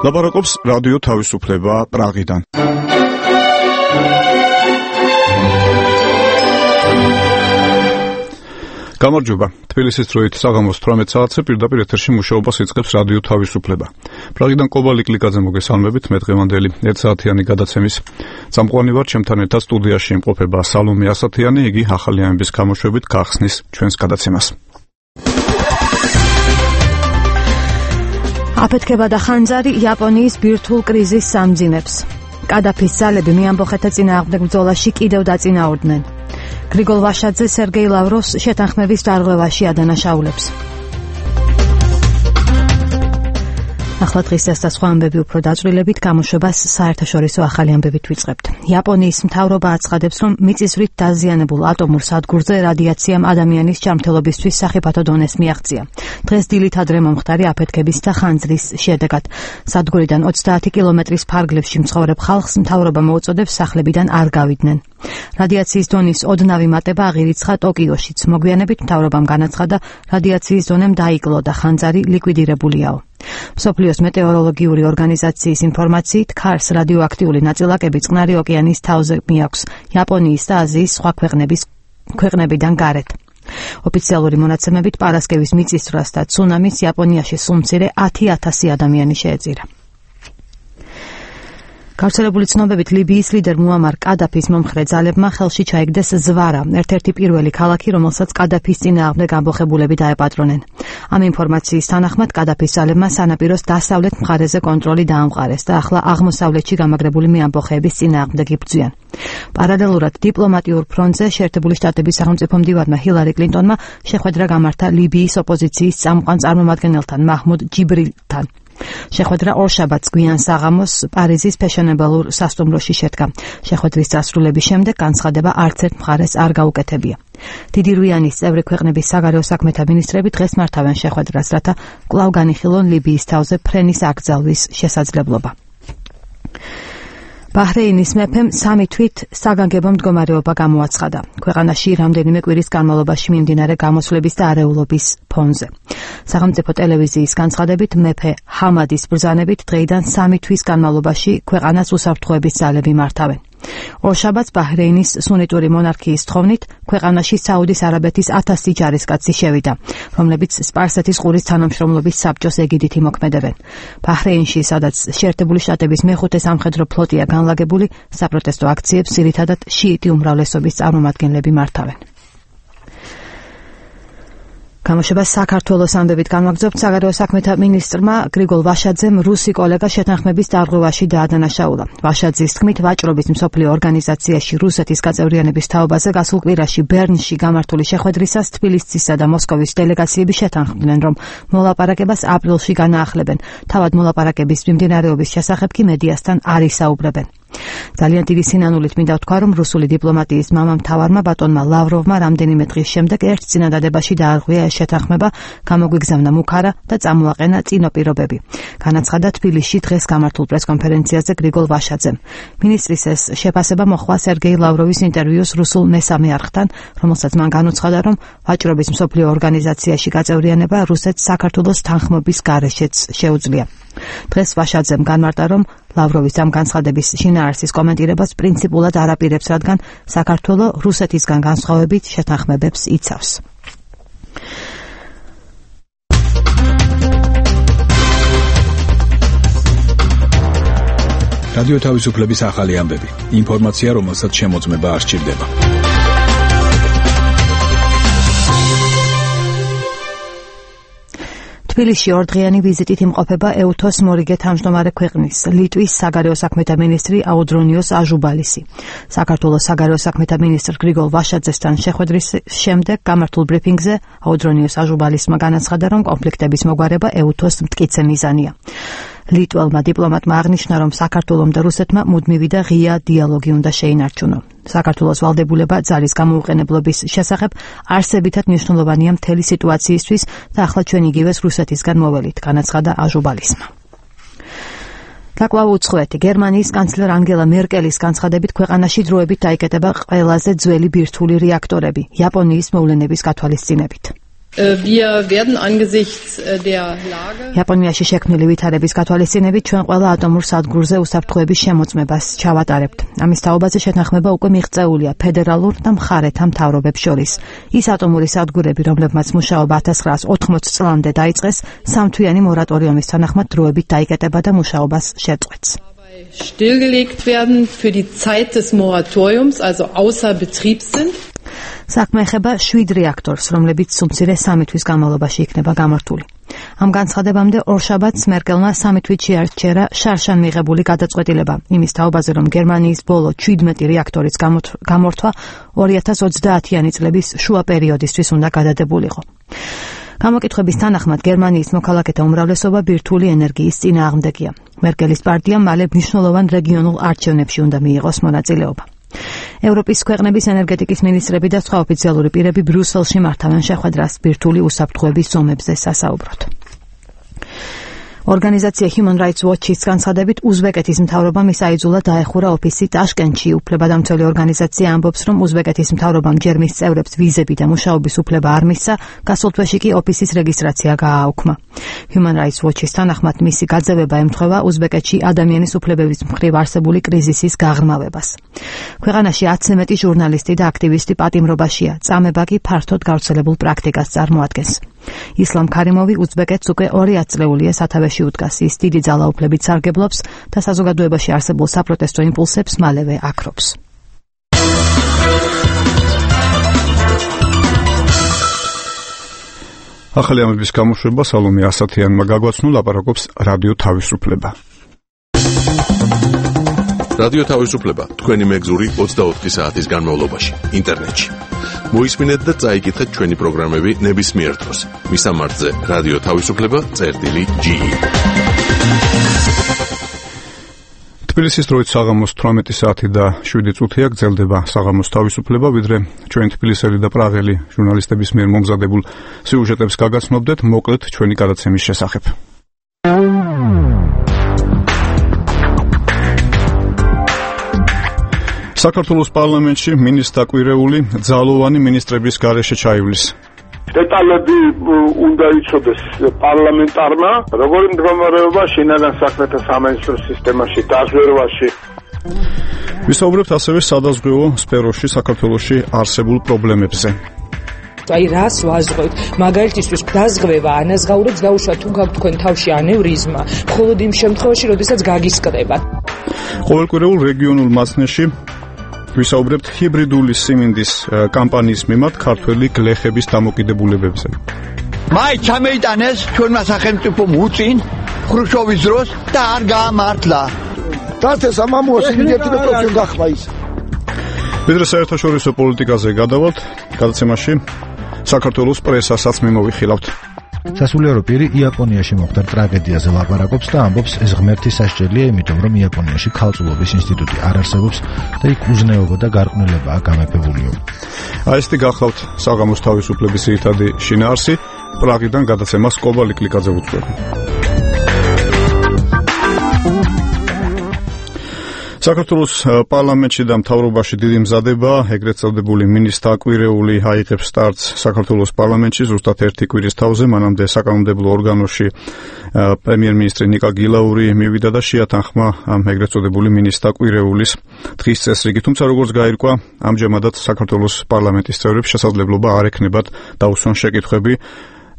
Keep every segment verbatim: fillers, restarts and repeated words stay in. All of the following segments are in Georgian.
ლაპარაკობს რადიო თავისუფლება პრაღიდან. გამარჯობა. თბილისის დროით საღამოს თვრამეტ საათზე პირდაპირ ეთერში მუშაობას იწყებს რადიო თავისუფლება. პრაღიდან კობალი კლიკაძე მოგესალმებით. მე დღევანდელი ერთსაათიანი გადაცემის წამყვანი ვარ, ჩემთან ერთად სტუდიაში იმყოფება სალომე ასათიანი, იგი ახალი ამბის გამოშვებით გახსნის ჩვენს გადაცემას. აფეთქება და ხანძარი იაპონიის ბირთვულ კრიზისს ამძიმებს. კადაფის ძალები მეამბოხეთა წინააღმდეგ ბრძოლაში კიდევ დაწინაურდნენ. გრიგოლ ვაშაძე სერგეი ლავროვს შეთანხმების დარღვევაში ადანაშაულებს. ახლა დღის და სხვა ამბები უფრო დაწვრილებით გამოშვებას საერთაშორისო ახალი ამბებით ვიწყებთ. იაპონიის მთავრობა აცხადებს, რომ მიწისძვრით დაზიანებულ ატომურ სადგურზე რადიაციამ ადამიანის ჯანმრთელობისთვის სახიფათო დონეს მიაღწია. დღეს დილით ადრე მომხდარი აფეთქების და ხანძრის შედეგად სადგურიდან ოცდაათი კილომეტრის ფარგლებში მცხოვრებ ხალხს მთავრობა მოუწოდებს სახლებიდან არ გავიდნენ. რადიაციის დონის ოდნავი მატება აღირიცხა ტოკიოშიც. მოგვიანებით მთავრობამ განაცხადა, რადიაციის დონემ დაიკლო და ხანძარი ლიკვიდირებულიაო. მსოფლიოს მეტეოროლოგიური ორგანიზაციის ინფორმაციით, ქარს რადიოაქტიული ნაწილაკები წყნარი ოკეანის თავზე მიაქვს იაპონიის და აზიის სხვა ქვეყნების ქვეყნებიდან გარეთ. ოფიციალური მონაცემებით პარასკევის მიწისძვრას და ცუნამის იაპონიაში სულ მცირე ათი ათასი ადამიანი შეეწირა. გავრცელებული ცნობებით ლიბიის ლიდერ მუამარ კადაფის მომხრე ძალებმა ხელში ჩაიგდეს ზვარა, ერთ-ერთი პირველი ქალაქი, რომელსაც კადაფის წინააღმდეგ ამბოხებულები დაეპატრონენ. ამ ინფორმაციის თანახმად კადაფის ძალებმა სანაპიროს დასავლეთ მხარეზე კონტროლი დაამყარეს და ახლა აღმოსავლეთში გამაგრებული მეამბოხეების წინააღმდეგ იბრძვიან. პარალელურად დიპლომატიურ ფრონტზე შეერთებული შტატების სახელმწიფო მდივანმა ჰილარი კლინტონმა შეხვედრა გამართა ლიბიის ოპოზიციის წამყვან წარმომადგენელთან მაჰმუდ ჯიბრილთან. შეხვედრა ორშაბათს გვიან საღამოს პარიზის ფეშენებელურ სასტუმროში შედგა. შეხვედრის დასრულების შემდეგ განცხადება არც ერთ მხარეს არ გაუკეთებია. დიდი რვიანის წევრი ქვეყნების საგარეო საქმეთა მინისტრები დღეს მართავენ შეხვედრას, რათა კვლავ განიხილონ ლიბიის თავზე ფრენის აკრძალვის შესაძლებლობა. ბაჰრეინის მეფემ სამი თვით საგანგებო მდგომარეობა გამოაცხადა. ქვეყანაში რამდენიმე კვირის განმავლობაში მიმდინარე გამოსვლების და არეულობის ფონზე. სახელმწიფო ტელევიზიის განცხადებით, მეფე ჰამადის ბრძანებით დღეიდან სამი თვის განმავლობაში ქვეყანას უსაფრთხოების ძალები მართავენ. ორშაბათს ბაჰრეინის სუნიტური მონარქიის თხოვნით ქვეყანაში საუდის არაბეთის ათასი ჯარისკაცი შევიდა, რომლებიც სპარსეთის ყურის თანამშრომლობის საბჭოს ეგიდით იმოქმედებენ. ბაჰრეინში, სადაც შეერთებული შტატების მეხუთე სამხედრო ფლოტია განლაგებული, საპროტესტო აქციებს ძირითადად შიიტი უმრავლესობის წარმომადგენლები მართავენ. გამოშვებას საქართველოს ამბებით განვაგრძობთ. საგარეო საქმეთა მინისტრმა გრიგოლ ვაშაძემ რუსი კოლეგა შეთანხმების დარღვევაში დაადანაშაულა. ვაშაძის თქმით, ვაჭრობის მსოფლიო ორგანიზაციაში რუსეთის გაწევრიანების თაობაზე გასულ კვირაში ბერნში გამართული შეხვედრისას თბილისისა და მოსკოვის დელეგაციები შეთანხმდნენ, რომ მოლაპარაკებას აპრილში განაახლებენ. თავად მოლაპარაკების მიმდინარეობის შესახებ კი მედიასთან არ ისაუბრებენ. ძალიან დიდი სინანულით მინდა ვთქვა, რომ რუსული დიპლომატიის მამამთავარმა ბატონმა ლავროვმა რამდენიმე დღის შემდეგ ერთ წინადადებაში დაარღვია ეს შეთანხმება, გამოგვიგზავნა მუქარა და წამოაყენა წინო პირობები. განაცხადა თბილისში დღეს გამართულ პრესკონფერენციაზე გრიგოლ ვაშაძემ. მინისტრის ეს შეფასება მოხდა სერგეი ლავროვის ინტერვიუს რუსულ მესამე არხთან, რომელსაც მან განუცხადა, რომ ვაჭრობის მსოფლიო ორგანიზაციაში გაწევრიანება რუსეთს საქართველოს თანხმობის გარეშეც შეუძლია. დღეს ვაშაძემ განმარტა, რომ ლავროვის ამ განცხადების შინაარსის კომენტირებას პრინციპულად არ აპირებს, რადგან საქართველო რუსეთისგან განსხვავებით შეთანხმებებს იცავს. რადიო თავისუფლების ახალი ამბები. ინფორმაცია, რომელსაც შემოწმება არ სჭირდება. თბილისში ორდღიანი ვიზიტით იმყოფება ეუთოს მორიგე თავმჯდომარე ქვეყნის ლიტვის საგარეო საქმეთა მინისტრი აუდრონიოს აჟუბალისი. საქართველოს საგარეო საქმეთა მინისტრ გრიგოლ ვაშაძესთან შეხვედრის შემდეგ გამართულ ბრიფინგზე აუდრონიოს აჟუბალისმა განაცხადა, რომ კონფლიქტების მოგვარება ეუთოს მტკიცე მიზანია. ლიტველმა დიპლომატმა აღნიშნა, რომ საქართველომ და რუსეთმა მუდმივი და ღია დიალოგი უნდა შეინარჩუნონ. საქართველოს ვალდებულება ძალის გამოუყენებლობის შესახებ არსებითად მნიშვნელოვანია მთელი სიტუაციისთვის და ახლა ჩვენ იგივეს რუსეთისგან მოველით, განაცხადა აჟუბალისმა. დაკვლავ უცხოეთი გერმანიის კანცლერ ანგელა მერკელის განცხადებით ქვეყანაში დროებით დაიკეტება ყველაზე ძველი ბირთვული რეაქტორები იაპონიის მოვლენების გათვალისწინებით. Wir werden angesichts der Lage იაპონიაში შექმნილი ვითარების გათვალისწინებით ჩვენ ყველა ატომურ სადგურზე უსაფრთხოების შემოწმებას ჩავატარებთ. ამის თაობაზე შეთანხმება უკვე მიღწეულია ფედერალურ და მხარეთა მთავრობებს შორის. ის ატომური სადგურები, რომლებმაც მუშაობა ათას ცხრაას ოთხმოცი წლამდე დაიწყეს, სამთვიანი მორატორიუმის თანახმად დროებით დაიკეტება და მუშაობას შეწყვეტს. stillgelegt werden für die Zeit des Moratoriums, also außer Betrieb sind. საქმე ეხება შვიდ რეაქტორს, რომლებიც სულ სამი თვის განმავლობაში იქნება გამართული. ამ განცხადებამდე ორშაბათს მერკელმა სამი თვით შეარჩერა შარშან მიღებული გადაწყვეტილება იმის თაობაზე, რომ გერმანიის ბოლო ჩვიდმეტი რეაქტორის გამორთვა ორი ათას ოცდაათიანი წლების შუა პერიოდისთვის უნდა გადადებულიყო. გამოკითხვების თანახმად გერმანიის მოქალაქეთა უმრავლესობა ბირთვული ენერგიის წინააღმდეგია. მერკელის პარტიამ მალე მნიშვნელოვან რეგიონულ არჩევნებში უნდა მიიღოს მონაწილეობა. ევროპის ქვეყნების ენერგეტიკის მინისტრები და სხვა ოფიციალური პირები ბრიუსელში მართავენ შეხვედრას ბირთვული უსაფრთხოების ზომებზე სასაუბროდ. ორგანიზაცია Human Rights Watch-ის განცხადებით, უზბეკეთის მთავრობამ ისაიძულა დაეხურა ოფისი ტაშკენტში. უფლებადამცველი ორგანიზაცია ამბობს, რომ უზბეკეთის მთავრობამ ჯერ მის წევრებს ვიზები და მუშაობის უფლება არ მისცა, გასულ თვეში კი ოფისის რეგისტრაცია გააუქმა. Human Rights Watch-ის თანახმად მისი გაძევება ემთხვევა უზბეკეთში ადამიანის უფლებების მხრივ არსებული კრიზისის გაღრმავებას. ქვეყანაში ათზე მეტი ჟურნალისტი და აქტივისტი პატიმრობაშია, წამება კი ფართოდ გავრცელებულ პრაქტიკას წარმოადგენს. ისლამ ქარიმოვი უზბეკეთს უკვე ორი ათწლეულია სათავეში უდგას. ის დიდი ძალაუფლებით სარგებლობს და საზოგადოებაში არსებულ საპროტესტო იმპულსებს მალევე აქრობს. ახალი ამების გამოშვება სალომე ასათიანმა გაგვაცნო, ლაპარაკობს რადიო თავისუფლება. რადიო თავისუფლება თქვენი მეგზური ოცდაოთხი საათის განმავლობაში ინტერნეტში. მოისმინეთ და წაიკითხეთ ჩვენი პროგრამები ნებისმიერ დროს. მისამართზე რადიო თავისუფლება წერტილი ჯი. თბილისის დროით საღამოს თვრამეტი საათი და შვიდი წუთია გრძელდება საღამოს თავისუფლება, ვიდრე ჩვენ თბილისელი და პრაღელი ჟურნალისტების მიერ მომზადებულ სიუჟეტებს გაგაცნობდეთ, მოკლედ ჩვენი გადაცემის შესახებ. საქართველოს პარლამენტში მინისტრ დაკვირეული ძალოვანი მინისტრების გარეშე ჩაივლის. დეტალები უნდა იცოდეს პარლამენტარმა, როგორი მდგომარეობა შინაგან საქმეთა სამინისტრო სისტემაში, დაზვერვაში. ვისაუბრებთ ასევე სადაზღვევო სფეროში საქართველოში არსებულ პრობლემებზე. აი რას ვაზღვევთ? მაგალითისთვის დაზღვევა ანაზღაურებს დაუშვათ თუ გაქვთ თქვენ თავში ანევრიზმა, მხოლოდ იმ შემთხვევაში, როდესაც გაგისკდება. ყოველკვირეულ რეგიონულ მასნეში ვისაუბრებთ ჰიბრიდული სიმინდის კამპანიის მიმართ ქართველი გლეხების დამოკიდებულებებზე. მაი ჩამეიტანეს ჩვენმა სახელმწიფომ უწინ ხრუშჩოვის დროს და არ გაამართლა. დათეს ამამოა სიმინდი და პროფესიონ გახმა ის. ვიდრე საერთაშორისო პოლიტიკაზე გადავალთ, გადაცემაში საქართველოს პრესასაც მიმოვიხილავთ. სასულიერო პირი იაპონიაში მოხდა ტრაგედიაზე ლაპარაკობს და ამბობს, ეს ღმერთი სასჯელია, იმიტომ რომ იაპონიაში ქალწულობის ინსტიტუტი არ არსებობს და იქ უზნეობა და გარყვნილებაა გამეფებულიო. აი ესეთი გახლავთ საღამოს თავისუფლების ძირითადი შინაარსი. პრაღიდან გადაცემას კობალი კლიკაძე უძღვება. საქართველოს პარლამენტში და მთავრობაში დიდი მზადება, ეგრეთ წოდებული მინისტრ დაკვირეული აიღებს სტარტს საქართველოს პარლამენტში ზუსტად ერთი კვირის თავზე, მანამდე საკანონმდებლო ორგანოში პრემიერ-მინისტრი ნიკა გილაური მივიდა და შეათანხმა ამ ეგრეთ წოდებული მინისტრ დაკვირეულის დღის წესრიგი, თუმცა როგორც გაირკვა, ამჟამადაც საქართველოს პარლამენტის წევრებს შესაძლებლობა არ ექნებათ დაუსვან შეკითხვები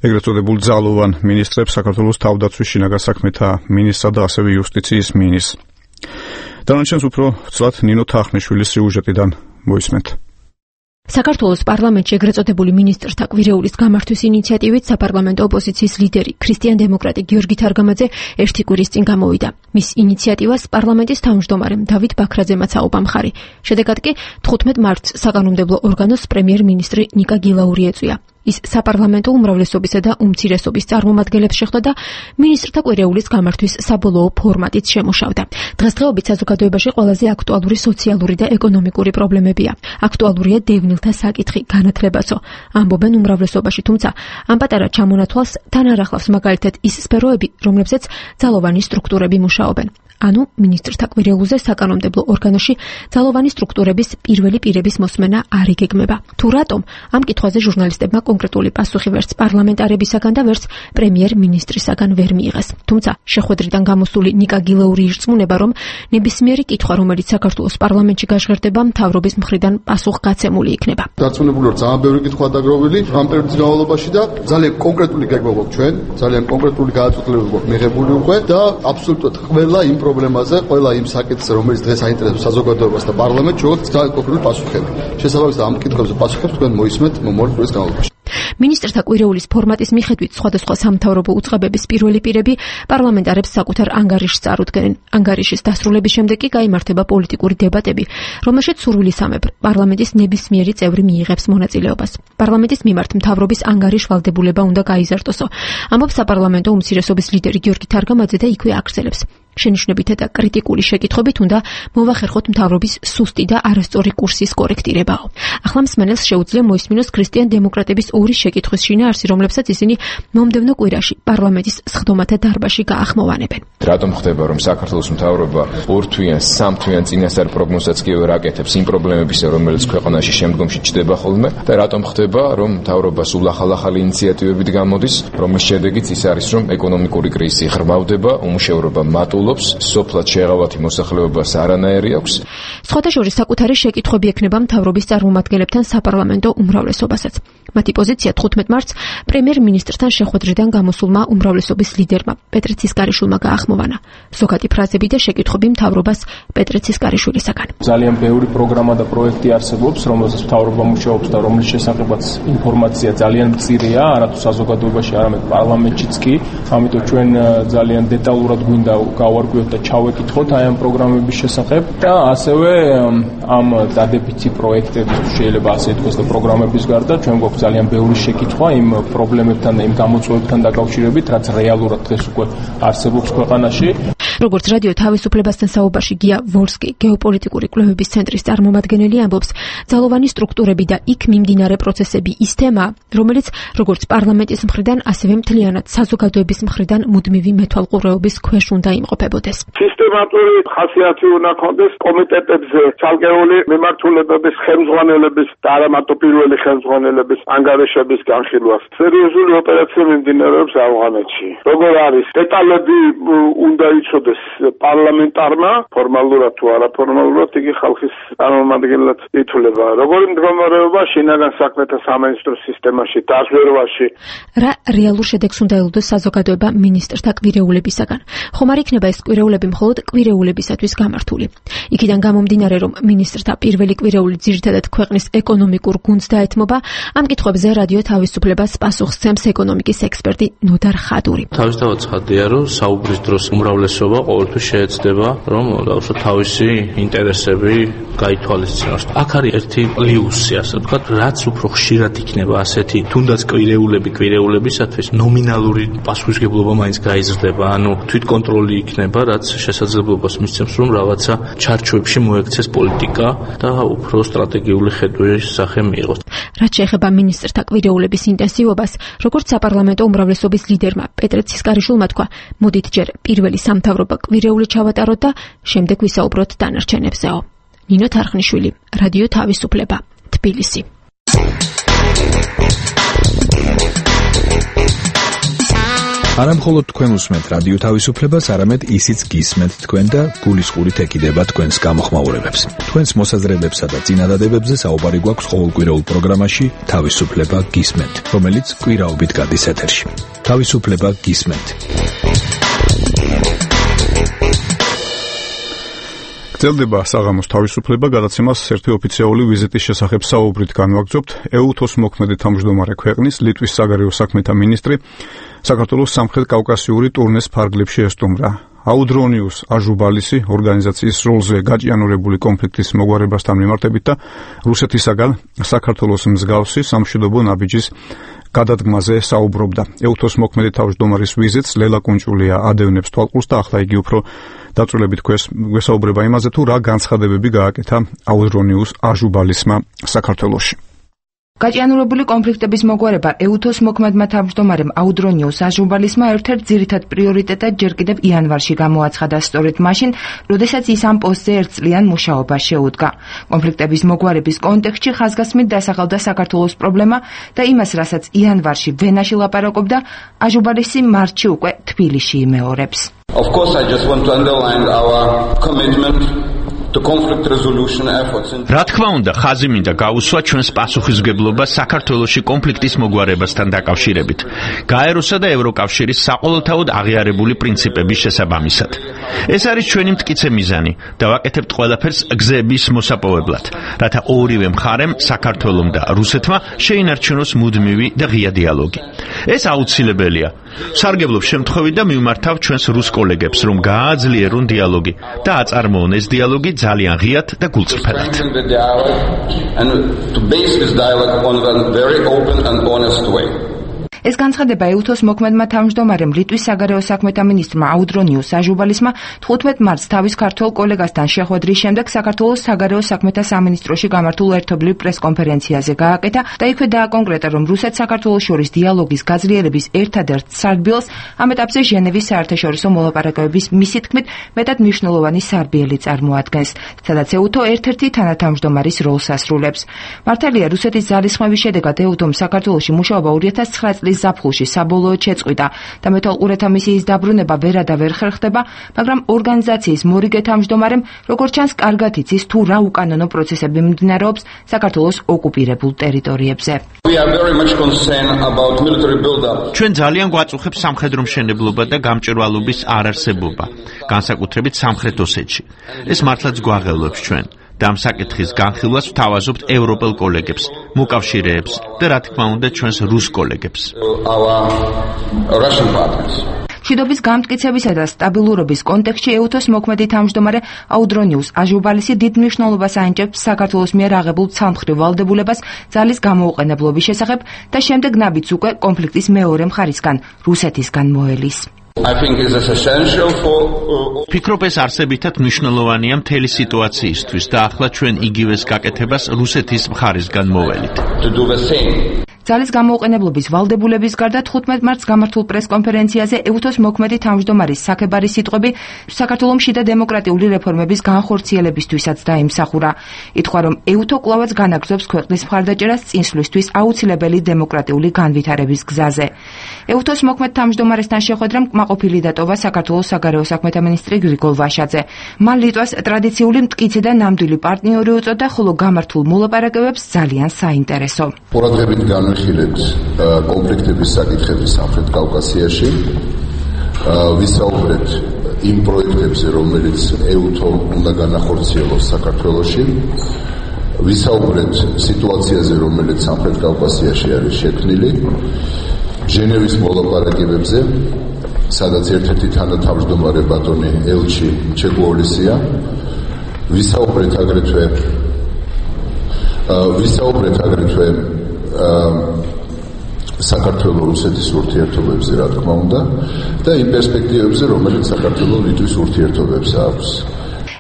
ეგრეთ წოდებულ ძალოვან მინისტრებს, საქართველოს თავდაცვის შინაგან საქმეთა მინისტრსა და ასევე იუსტიციის მინისტრს. დანარჩენს უფრო ვცლად ნინო თახნიშვილის სიუჟეტიდან მოისმენთ. საქართველოს პარლამენტში ეგრეთ წოდებული მინისტრთა კვირეულის გამართვის ინიციატივით საპარლამენტო ოპოზიციის ლიდერი ქრისტიან-დემოკრატი გიორგი თარგამაძე ერთი კვირის წინ გამოვიდა. მის ინიციატივას პარლამენტის თავმჯდომარემ დავით ბაქრაძემაც აუპა მხარი. შედეგად კი თხუთმეტ მარტს საკანონმდებლო ორგანოს პრემიერ-მინისტრი ნიკა გილაური ეწვია. ის საპარლამენტო უმრავლესობისა და უმცირესობის წარმომადგენლებს შეხვდა და მინისტრთა კვირეულის გამართვის საბოლოო ფორმატით შემუშავდა. დღესდღეობით საზოგადოებაში ყველაზე აქტუალური სოციალური და ეკონომიკური პრობლემებია. აქტუალურია დევნილთა საკითხი, განათლებაცო. ამბობენ უმრავლესობაში, თუმცა ამ პატარა ჩამონათვალს თან არ ახლავს მაგალითად ის სფეროები, რომლებზეც ძალოვანი სტრუქტურები მუშაობენ. ანუ მინისტრთა კვირეულზე საკანონმდებლო ორგანოში ძალოვანი სტრუქტურების პირველი პირების მოსმენა არ იგეგმება. თუ რატომ? ამ კითხვაზე ჟურნალისტებმა კონკრეტული პასუხი ვერც პარლამენტარებისაგან და ვერც პრემიერ-მინისტრისაგან ვერ მიიღეს. თუმცა შეხვედრიდან გამოსული ნიკა გილაური ირწმუნება, რომ ნებისმიერი კითხვა, რომელიც საქართველოს პარლამენტში გაჟღერდება, მთავრობის მხრიდან პასუხგაცემული იქნება. დარწმუნებული ვარ, ძალიან ბევრი კითხვა დაგროვილი ამ პერიოდის განმავლობაში და ძალიან კონკრეტული გეგმა გვაქვს ჩვენ, ძალიან კონკრეტული გადაწყვეტილებები გვაქვს მიღებული უკვე და აბსოლუტურად ყველა იმ პრობლემაზე, ყველა იმ საკითხზე, რომელიც დღეს აინტერესებს საზოგადოებას და პარლამენტს, შევაქვს ძალიან კონკრეტული პასუხები. შესაბამისად ამ კითხვებზე პასუხებს თქვენ მოისმენთ მომავალ კვირის განმავლობაში. მინისტრთა კვირეულის ფორმატის მიხედვით სხვადასხვა სამთავრობო უწყებების პირველი პირები პარლამენტარებს საკუთარ ანგარიშს წარუდგენენ. ანგარიშის დასრულების შემდეგ კი გაიმართება პოლიტიკური დებატები, რომელშიც სურვილისამებრ პარლამენტის ნებისმიერი წევრი მიიღებს მონაწილეობას. პარლამენტის მიმართ მთავრობის ანგარიშ ვალდებულება უნდა გაიზარდოსო. ამბობს საპარლამენტო უმცირესობის ლიდერი გიორგი თარგამაძე და იქვე აღწერებს. შენიშვნებითა და კრიტიკული შეკითხვებით უნდა მოვახერხოთ მთავრობის სუსტი და არასწორი კურსის კორექტირებაო. ახლა მსმენელს შეუძლია მოისმინოს ქრისტიან დემოკრატების ორი შეკითხვის შინაარსი, რომლებსაც ისინი მომდევნო კვირაში პარლამენტის სხდომათა დარბაზში გაახმოვანებენ. რატომ ხდება, რომ საქართველოს მთავრობა ორთვიან, სამთვიან წინასწარ პროგნოზსაც კი ვერ აკეთებს იმ პრობლემებისა, რომელიც ქვეყანაში შემდგომში ჩდება ხოლმე და რატომ ხდება, რომ მთავრობა სულ ახალ-ახალი ინიციატივებით გამოდის, რომლის შედეგიც ის არის, რომ ეკონომიკური კრიზისი ღრმავდება, უმუშევრობა მატულობს, სოფლად შეღავათი მოსახლეობას არანაირი აქვს. სხვათა შორის საკუთარი შეკითხვები ექნება მთავრობის წარმომადგენლებთან საპარლამენტო უმრავლესობასაც. მათი პოზიცია თხუთმეტ მარტს პრემიერ-მინისტრთან შეხვედრიდან გამოსულმა უმრავლესობის ლიდერმა პეტრე ცისკარიშვილმა გაახმოვანა. ზოგადი ფრაზები და შეკითხვები მთავრობას პეტრე ცისკარიშვილისაგან. ძალიან ბევრი პროგრამა და პროექტი არსებობს, რომელზეც მთავრობა მუშაობს და რომლის შესახებაც ინფორმაცია ძალიან მწირია, არათუ საზოგადოებაში, არამედ პარლამენტშიც კი. ამიტომ ჩვენ ძალიან დეტალურად გვინდა გავარკვიოთ და ჩავეკითხოთ აი ამ პროგრამების შესახებ და ასევე ამ დადებითი პროექტების, შეიძლება ასე ითქვას, და პროგრამების გარდა ჩვენ გვაქვს ძალიან ბევრი შეკითხვა იმ პრობლემებთან და იმ გამოწვევებთან დაკავშირებით, რაც რეალურად დღეს უკვე არსებობს ქვეყანაში. როგორც რადიო თავისუფლებასთან საუბარში გია ვოლსკი, გეოპოლიტიკური კვლევების ცენტრის წარმომადგენელი, ამბობს, ძალოვანი სტრუქტურები და იქ მიმდინარე პროცესები ის თემაა, რომელიც როგორც პარლამენტის მხრიდან, ასევე მთლიანად საზოგადოების მხრიდან მუდმივი მეთვალყურეობის ქვეშ უნდა იმყოფებოდეს. სისტემატური ხასიათი უნდა ქონდეს კომიტეტებზე ცალკეული მიმართულებების ხელმძღვანელების და არა მარტო პირველი ხელმძღვანელების ანგარიშების განხილვას. სერიოზული ოპერაცია მიმდინარეობს ავღანეთში. როგორ არის დეტალები უნდა იცოდეს პარლამენტარმა, ფორმალურად თუ არაფორმალურად იგი ხალხის წარმომადგენლად ითვლება. როგორი მდგომარეობა შინაგან საქმეთა სამინისტრო სისტემაში, დაზვერვაში. რა რეალურ შედეგს უნდა ელოდოს საზოგადოება მინისტრთა კვირეულებისაგან? ხომ არ იქნება ეს კვირეულები მხოლოდ კვირეულებისათვის გამართული? იქიდან გამომდინარე, რომ მინისტრთა პირველი კვირეული ძირითადად ქვეყნის ეკონომიკურ გუნდს დაეთმობა, ამ კითხვებზე რადიო თავისუფლებას პასუხს სცემს ეკონომიკის ექსპერტი ნოდარ ხადური. თავისთავად ცხადია, რომ საუბრის დროს უმრავლესობა ყოველთვის შეეცდება, რომ დავუშვათ თავისი ინტერესები გაითვალისწინოს. აქ არის ერთი პლუსი, ასე ვთქვათ, რაც უფრო ხშირად იქნება ასეთი, თუნდაც კვირეულები კვირეულებისათვის ნომინალური პასუხისმგებლობა მაინც გაიზრდება, ანუ თვითკონტროლი იქნება, რაც შესაძლებლობას მისცემს, რომ რაღაცა ჩარჩოებში მოექცეს პოლიტიკა და უფრო სტრატეგიული ხედვის სახე მიიღოს. რაც შეეხება მინისტრთა კვირეულების ინტენსივობას, როგორც საპარლამენტო უმრავლესობის ლიდერმა პეტრე ცისკარიშვილმა თქვა, მოდით ჯერ პირველი სამთავრობო კვირეული ჩავატაროთ და შემდეგ ვისაუბროთ დანარჩენებზეო. ნინო თარხნიშვილი, რადიო თავისუფლება, თბილისი. არა მხოლოდ თქვენ უსმენთ რადიო თავისუფლებას, არამედ ისიც გისმენთ თქვენ და გულისყურით ეკიდება თქვენს გამოხმაურებებს. თქვენს მოსაზრებებსა და წინადადებებზე საუბარი გვაქვს ყოველკვირეულ პროგრამაში თავისუფლება გისმენთ, რომელიც კვირაობით გადის ეთერში. თავისუფლება გისმენთ. გრძელდება საღამოს თავისუფლება, გადაცემას ერთი ოფიციალური ვიზიტის შესახებ საუბრით განვაგრძობთ. ეუთოს მოქმედი თავმჯდომარე ქვეყნის ლიტვის საგარეო საქმეთა მინისტრი საქართველოს სამხრეთ კავკასიური ტურნეს ფარგლებში ესტუმრა. აუდრონიუს აჟუბალისი ორგანიზაციის როლზე გაჭიანურებული კონფლიქტის მოგვარებასთან მიმართებით და რუსეთისაგან საქართველოს მსგავსი სამშვიდობო ნაბიჯის გადადგმაზე საუბრობდა. ეუთოს მოქმედი თავმჯდომარის ვიზიტს ლელა კუნჭულია ადევნებს თვალყურს და ახლა იგი უფრო დაწვრილებით გვესაუბრება იმაზე, თუ რა განცხადებები გააკეთა აუდრონიუს აჟუბალისმა საქართველოში. გაჭიანურებული კონფლიქტების მოგვარება ეუთოს მოქმედმა თავმჯდომარემ აუდრონიუს აჟუბალისმა ერთ-ერთ ძირითად პრიორიტეტად ჯერ კიდევ იანვარში გამოაცხადა სწორედ მაშინ, როდესაც ის ამ პოსტზე ერთწლიან მუშაობას შეუდგა. კონფლიქტების მოგვარების კონტექსტში ხაზგასმით დასახელდა საქართველოს პრობლემა და იმას, რასაც იანვარში ვენაში ლაპარაკობდა, აჟუბალისი მარტში უკვე თბილისში იმეორებს. Of course, I just want to underline our commitment რა თქმა უნდა, ხაზი მინდა გაუსვა ჩვენს პასუხისმგებლობას საქართველოში კონფლიქტის მოგვარებასთან დაკავშირებით, გაეროსა და ევროკავშირის საყოველთაოდ აღიარებული პრინციპების შესაბამისად. ეს არის ჩვენი მტკიცე მიზანი და ვაკეთებთ ყველაფერს გზების მოსაპოვებლად, რათა ორივე მხარემ, საქართველომ და რუსეთმა შეინარჩუნოს მუდმივი და ღია დიალოგი. ეს აუცილებელია. სარგებლობ შემთხვევით და მივმართავ ჩვენს რუს კოლეგებს, რომ გააძლიერონ დიალოგი და აწარმოონ ეს დიალოგი ძალიან ღიად და გულწრფელად. ეს განცხადება ეუთოს მოქმედმა თავმჯდომარემ ლიტვის საგარეო საქმეთა მინისტრმა აუდრონიუს აჟუბალისმა თხუთმეტ მარტს თავის ქართველ კოლეგასთან შეხვედრის შემდეგ საქართველოს საგარეო საქმეთა სამინისტროში გამართულ ერთობლივ პრესკონფერენციაზე გააკეთა და იქვე დააკონკრეტა, რომ რუსეთს საქართველოს შორის დიალოგის გაძლიერების ერთადერთ სარბიელს ამ ეტაპზე ჟენევის საერთაშორისო მოლაპარაკებების მისი თქმით მეტად მნიშვნელოვანი სარბიელი წარმოადგენს, სადაც ეუთო ერთ-ერთი თანათავმჯდომარის როლს ასრულებს. მართალია, რუსეთის ძალისხმევის შედეგად ეუთომ საქართველოში მუშაობა ორი ათას ცხრა წლის ზაფხულში საბოლოოდ შეწყვიტა და მეტალყურეთა მისიის დაბრუნება ვერ და ვერ ხერხდება, მაგრამ ორგანიზაციის მორიგე თავმჯდომარემ, როგორც ჩანს, კარგად იცის თუ რა უკანონო პროცესები მიმდინარეობს საქართველოს ოკუპირებულ ტერიტორიებზე. ჩვენ ძალიან გვაწუხებს სამხედრო მშენებლობა და გამჭვირვალობის არარსებობა, განსაკუთრებით სამხრეთ ოსეთში. ეს მართლაც გვაღელვებს ჩვენ. და ამ საკითხის განხილვას ვთავაზობთ ევროპელ კოლეგებს, მოკავშირეებს და რა თქმა უნდა ჩვენს რუს კოლეგებს. მშვიდობის გამტკიცებისა და სტაბილურობის კონტექსტში ეუთოს მოქმედი თავმჯდომარე აუდრონიუს აჟუბალისი დიდ მნიშვნელობას აინჭებს საქართველოს მიერ აღებულ ცალმხრივ ვალდებულებას ძალის გამოუყენებლობის შესახებ და შემდეგ ნაბიჯს უკვე კონფლიქტის მეორე მხარისგან, რუსეთისგან მოელის. ფიქრობ, ეს არსებითად მნიშვნელოვანია მთელი სიტუაციისთვის და ახლა ჩვენ იგივეს გაკეთებას რუსეთის მხარისგან მოველით. ძალის გამოუყენებლობის ვალდებულების გარდა თხუთმეტ მარტს გამართულ პრესკონფერენციაზე ეუთოს მოქმედი თავმჯდომარის საქებარი სიტყვები საქართველოს შიდა დემოკრატიული რეფორმების განხორციელებისთვისაც დაიმსახურა. ითქვა, რომ ეუთო კვლავაც განაგრძობს ქვეყნის მხარდაჭერას წინსვლისთვის აუცილებელი დემოკრატიული განვითარების გზაზე. ეუთოს მოქმედ თავმჯდომარესთან შეხვედრამ კმაყოფილი დატოვა საქართველოს საგარეო საქმეთა მინისტრი გრიგოლ ვაშაძე. მან ლიტვას ტრადიციული მტკიცე და ნამდვილი პარტნიორი უწოდა, ხოლო გამართულ მოლაპარაკებებს ძალიან საინტერესო. ხილებს კონფლიქტების საკითხების სამხრეთ კავკასიაში, ვისაუბრეთ იმ პროექტებზე, რომელიც ეუთო უნდა განახორციელოს საქართველოში, ვისაუბრეთ სიტუაციაზე, რომელიც სამხრეთ კავკასიაში არის შექმნილი, ჟენევის მოლაპარაკებებზე, სადაც ერთ-ერთი თანათავმჯდომარე ბატონი ელჩი ჩეგუოლისია, ვისაუბრეთ აგრეთვე ვისაუბრეთ აგრეთვე საქართველოს რუსეთის ურთიერთობებზე, რა თქმა უნდა, და იმ პერსპექტივებზე, რომელიც საქართველოს ლიტვის ურთიერთობებს აქვს.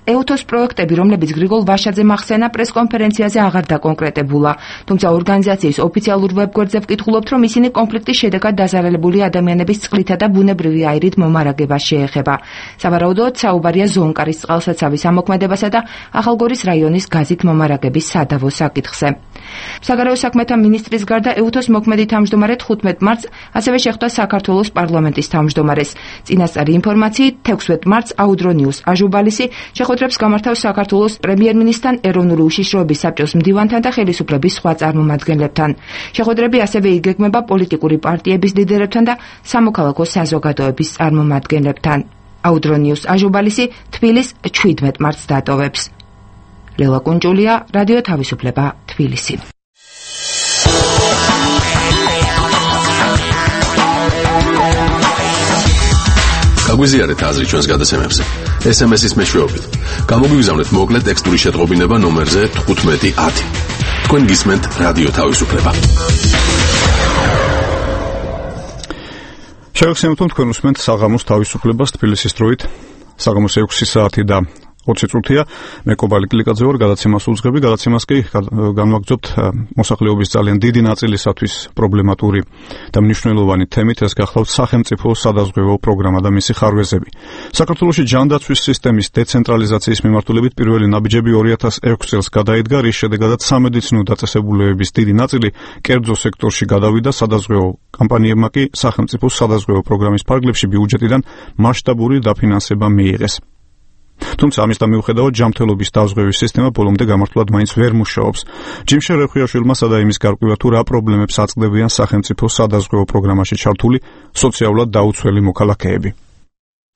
ეუთოს პროექტები, რომლებიც გრიგოლ ვაშაძემ ახსენა, პრესკონფერენციაზე აღარ დაკონკრეტებულა, თუმცა ორგანიზაციის ოფიციალურ ვებგვერდზე ვკითხულობთ, რომ ისინი კონფლიქტის შედეგად დაზარალებული ადამიანების წყლითა და ბუნებრივი აირით მომარაგებას შეეხება. სავარაუდოდ საუბარია ზონკარის წყალსაცავის ამოქმედებასა და ახალგორის რაიონის გაზით მომარაგების სადავო საკითხზე. საგარეო საქმეთა მინისტრის გარდა ეუთოს მოქმედი თავმჯდომარე თხუთმეტ მარტს ასევე შეხვდა საქართველოს პარლამენტის თავმჯდომარეს. წინასწარი ინფორმაციით თექვსმეტ მარტს აუდრონიუს აჟუბალისი შეხვედრებს გამართავს საქართველოს პრემიერ-მინისტრთან, ეროვნული უშიშროების საბჭოს მდივანთან და ხელისუფლების სხვა წარმომადგენლებთან. შეხვედრები ასევე იგეგმება პოლიტიკური პარტიების ლიდერებთან და სამოქალაქო საზოგადოების წარმომადგენლებთან. აუდრონიუს აჟუბალისი თბილის შვიდმეტ მარტს დატოვებს. ლელა კუნჭულია, რადიო თავისუფლება, თბილისი. გაგვიზიარეთ აზრი ჩვენს გადაცემებზე. ეს ემ ეს-ის მეშვეობით. გამოგვიგზავნეთ მოკლე ტექსტური შეტყობინება ნომერზე თხუთმეტი ათი. თქვენ გისმენთ რადიო თავისუფლება. შევეხსენებთ, თქვენ უსმენთ საღამოს თავისუფლებას თბილისის დროით. საღამოს ექვსი საათი და ოცი წუთია. მე კობალი კლიკაძე ვარ, გადაცემას უძღები, გადაცემას კი განვაგრძობთ მოსახლეობის ძალიან დიდი ნაწილისათვის პრობლემატური და მნიშვნელოვანი თემით, ეს გახლავთ სახელმწიფო სადაზღვევო პროგრამა და მისი ხარვეზები. საქართველოში ჯანდაცვის სისტემის დეცენტრალიზაციის მიმართულებით პირველი ნაბიჯები ორი ათას ექვსი წელს გადაიდგა, რის შედეგადაც სამედიცინო დაწესებულებების დიდი ნაწილი კერძო სექტორში გადავიდა, სადაზღვევო კამპანიებმა კი სახელმწიფო სადაზღვევო პროგრამის ფარგლებში ბიუჯეტიდან მასშტაბური დაფინანსება მიიღეს. თუმცა ამისთან მიუხედავად ჯანმრთელობის დაზღვევის სისტემა ბოლომდე გამართულად მაინც ვერ მუშაობს. ჯიმშე რეხვიაშვილმა სადა იმის გარკვევა თუ რა პრობლემებს აწყდებიან სახელმწიფო სადაზღვევო პროგრამაში ჩართული სოციალურად დაუცველი მოქალაქეები.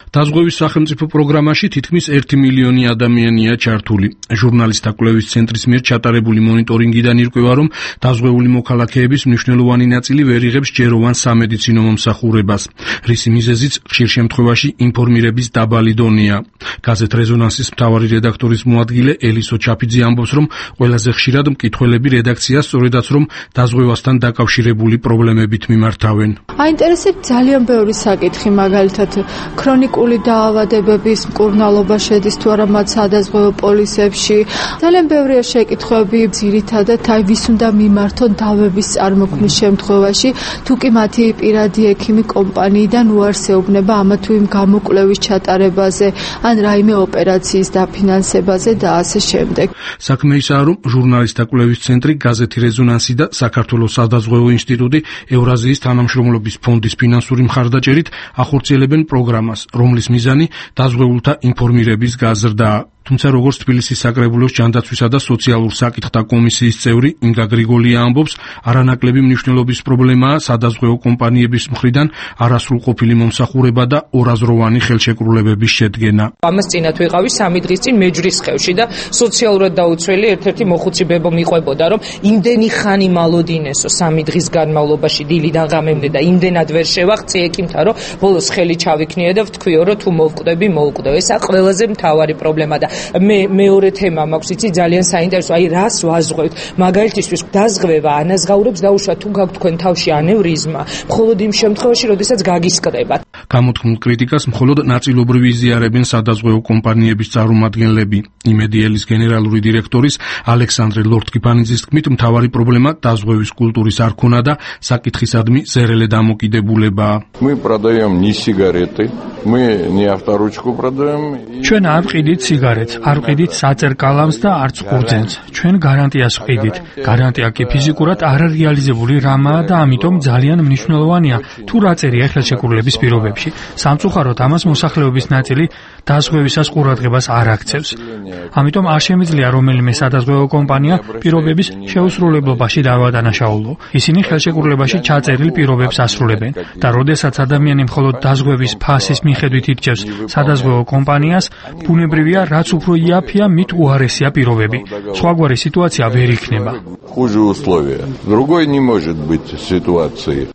დაზღვევის სახელმწიფო პროგრამაში თითქმის ერთი მილიონი ადამიანია ჩართული. ჟურნალისტთა კვლევის ცენტრის მიერ ჩატარებული მონიტორინგიდან ირკვევა, რომ დაზღვეული მოქალაქეების მნიშვნელოვანი ნაწილი ვერ იღებს ჯეროვან სამედიცინო მომსახურებას, რისი მიზეზიც ხშირ შემთხვევაში ინფორმირების დაბალი დონეა. გაზეთ რეზონანსის მთავარი რედაქტორის მოადგილე ელისო ჩაფიძე ამბობს, რომ ყველაზე ხშირად მკითხველები რედაქციას სწორედაც რომ დაზღვევასთან დაკავშირებული პრობლემებით მიმართავენ. აინტერესებს ძალიან ბევრი საკითხი, მაგალითად ქრონიკული დაავადებების მკურნალობა შედის თუ არა მათ სადაზღვევო პოლისებში. ძალიან ბევრია შეკითხვები, ძირითადად აი ვის უნდა მიმართონ დავების წარმოქმნის შემთხვევაში, თუ კი მათი პირადი ექიმი კომპანიიდან უარსეუბნება ამა თუ იმ გამოკვლევის ჩატარებაზე, ან რაიმე ოპერაციის დაფინანსებაზე და ასე შემდეგ. საქმე ისაა, რომ ჟურნალისტთა კვლევის ცენტრი, გაზეთი რეზონანსი და საქართველოს სადაზღვევო ინსტიტუტი ევრაზიის თანამშრომლობის ფონდის ფინანსური მხარდაჭერით ახორციელებენ პროგრამას, რომლის მიზანი დაზღვეულთა ინფორმირების გაზრდაა. თუმცა როგორც თბილისის საკრებულოს ჯანდაცვისა და სოციალურ საკითხთა კომისიის წევრი ინგა გრიგოლია ამბობს, არანაკლები მნიშვნელობის პრობლემაა სადაზღვევო კომპანიების მხრიდან არასრულყოფილი მომსახურება და ორაზროვანი ხელშეკრულებების შედგენა. ამას წინათ ვიყავი სამი დღის წინ მეჯრის ხევში და სოციალურად დაუცველი ერთ-ერთი მოხუცებებო მიყვებოდა, რომ იმდენი ხანი მალოდინესო სამი დღის განმავლობაში დილიდან ღამემდე და იმდენად ვერ შევაღწი ექიმთან, რომ ბოლოს ხელი ჩავიქნიე და ვთქვიო, რომ თუ მოვკვდები, მოვკვდები. ესა ყველაზე მთავარი პრობლემა და მე მეორე თემა მაქვს, იცი ძალიან საინტერესო, აი რას ვაზღვევთ. მაგალითისთვის დაზღვევა ანაზღაურებს დაუშვათ თუ გაქვთ თქვენ თავში ანევრიზმა, მხოლოდ იმ შემთხვევაში, როდესაც გაგისკრებათ. გამოთქმულ კრიტიკას მხოლოდ ნაწილობრივ იზიარებენ სადაზღვევო კომპანიების წარმომადგენლები. იმედიელის გენერალური დირექტორის ალექსანდრე ლორთქიფანიძის თქმით, მთავარი პრობლემა დაზღვევის კულტურის არ ქონა და საკითხისადმი ზერელე დამოკიდებულებაა. Мы продаем не сигареты, мы не авторучку продаем. ჩვენ არ ვყიდით სიგარეტს, არ ვყიდით საწერ კალამს და არც ყურძენს. ჩვენ გარანტიას ვყიდით. გარანტია კი ფიზიკურად არარეალიზებული რამაა და ამიტომ ძალიან მნიშვნელოვანია თუ რა წერია ხელშეკრულების პირობებში. სამწუხაროდ ამას მოსახლეობის ნაწილი დაზღვევისას ყურადღებას არ აქცევს. ამიტომ არ შემიძლია რომელიმე სადაზღვევო კომპანია პირობების შეუსრულებლობაში დავადანაშაულო. ისინი ხელშეკრულებაში ჩაწერილ პირობებს ასრულებენ და როდესაც ადამიანი მხოლოდ დაზღვევის ფასის მიხედვით ირჩევს სადაზღვევო კომპანიას, ბუნებრივია, რაც უფრო იაფია, მით უარესია პირობები. სხვაგვარი სიტუაცია ვერ იქნება. Хуже условия. Другой не может быть ситуации.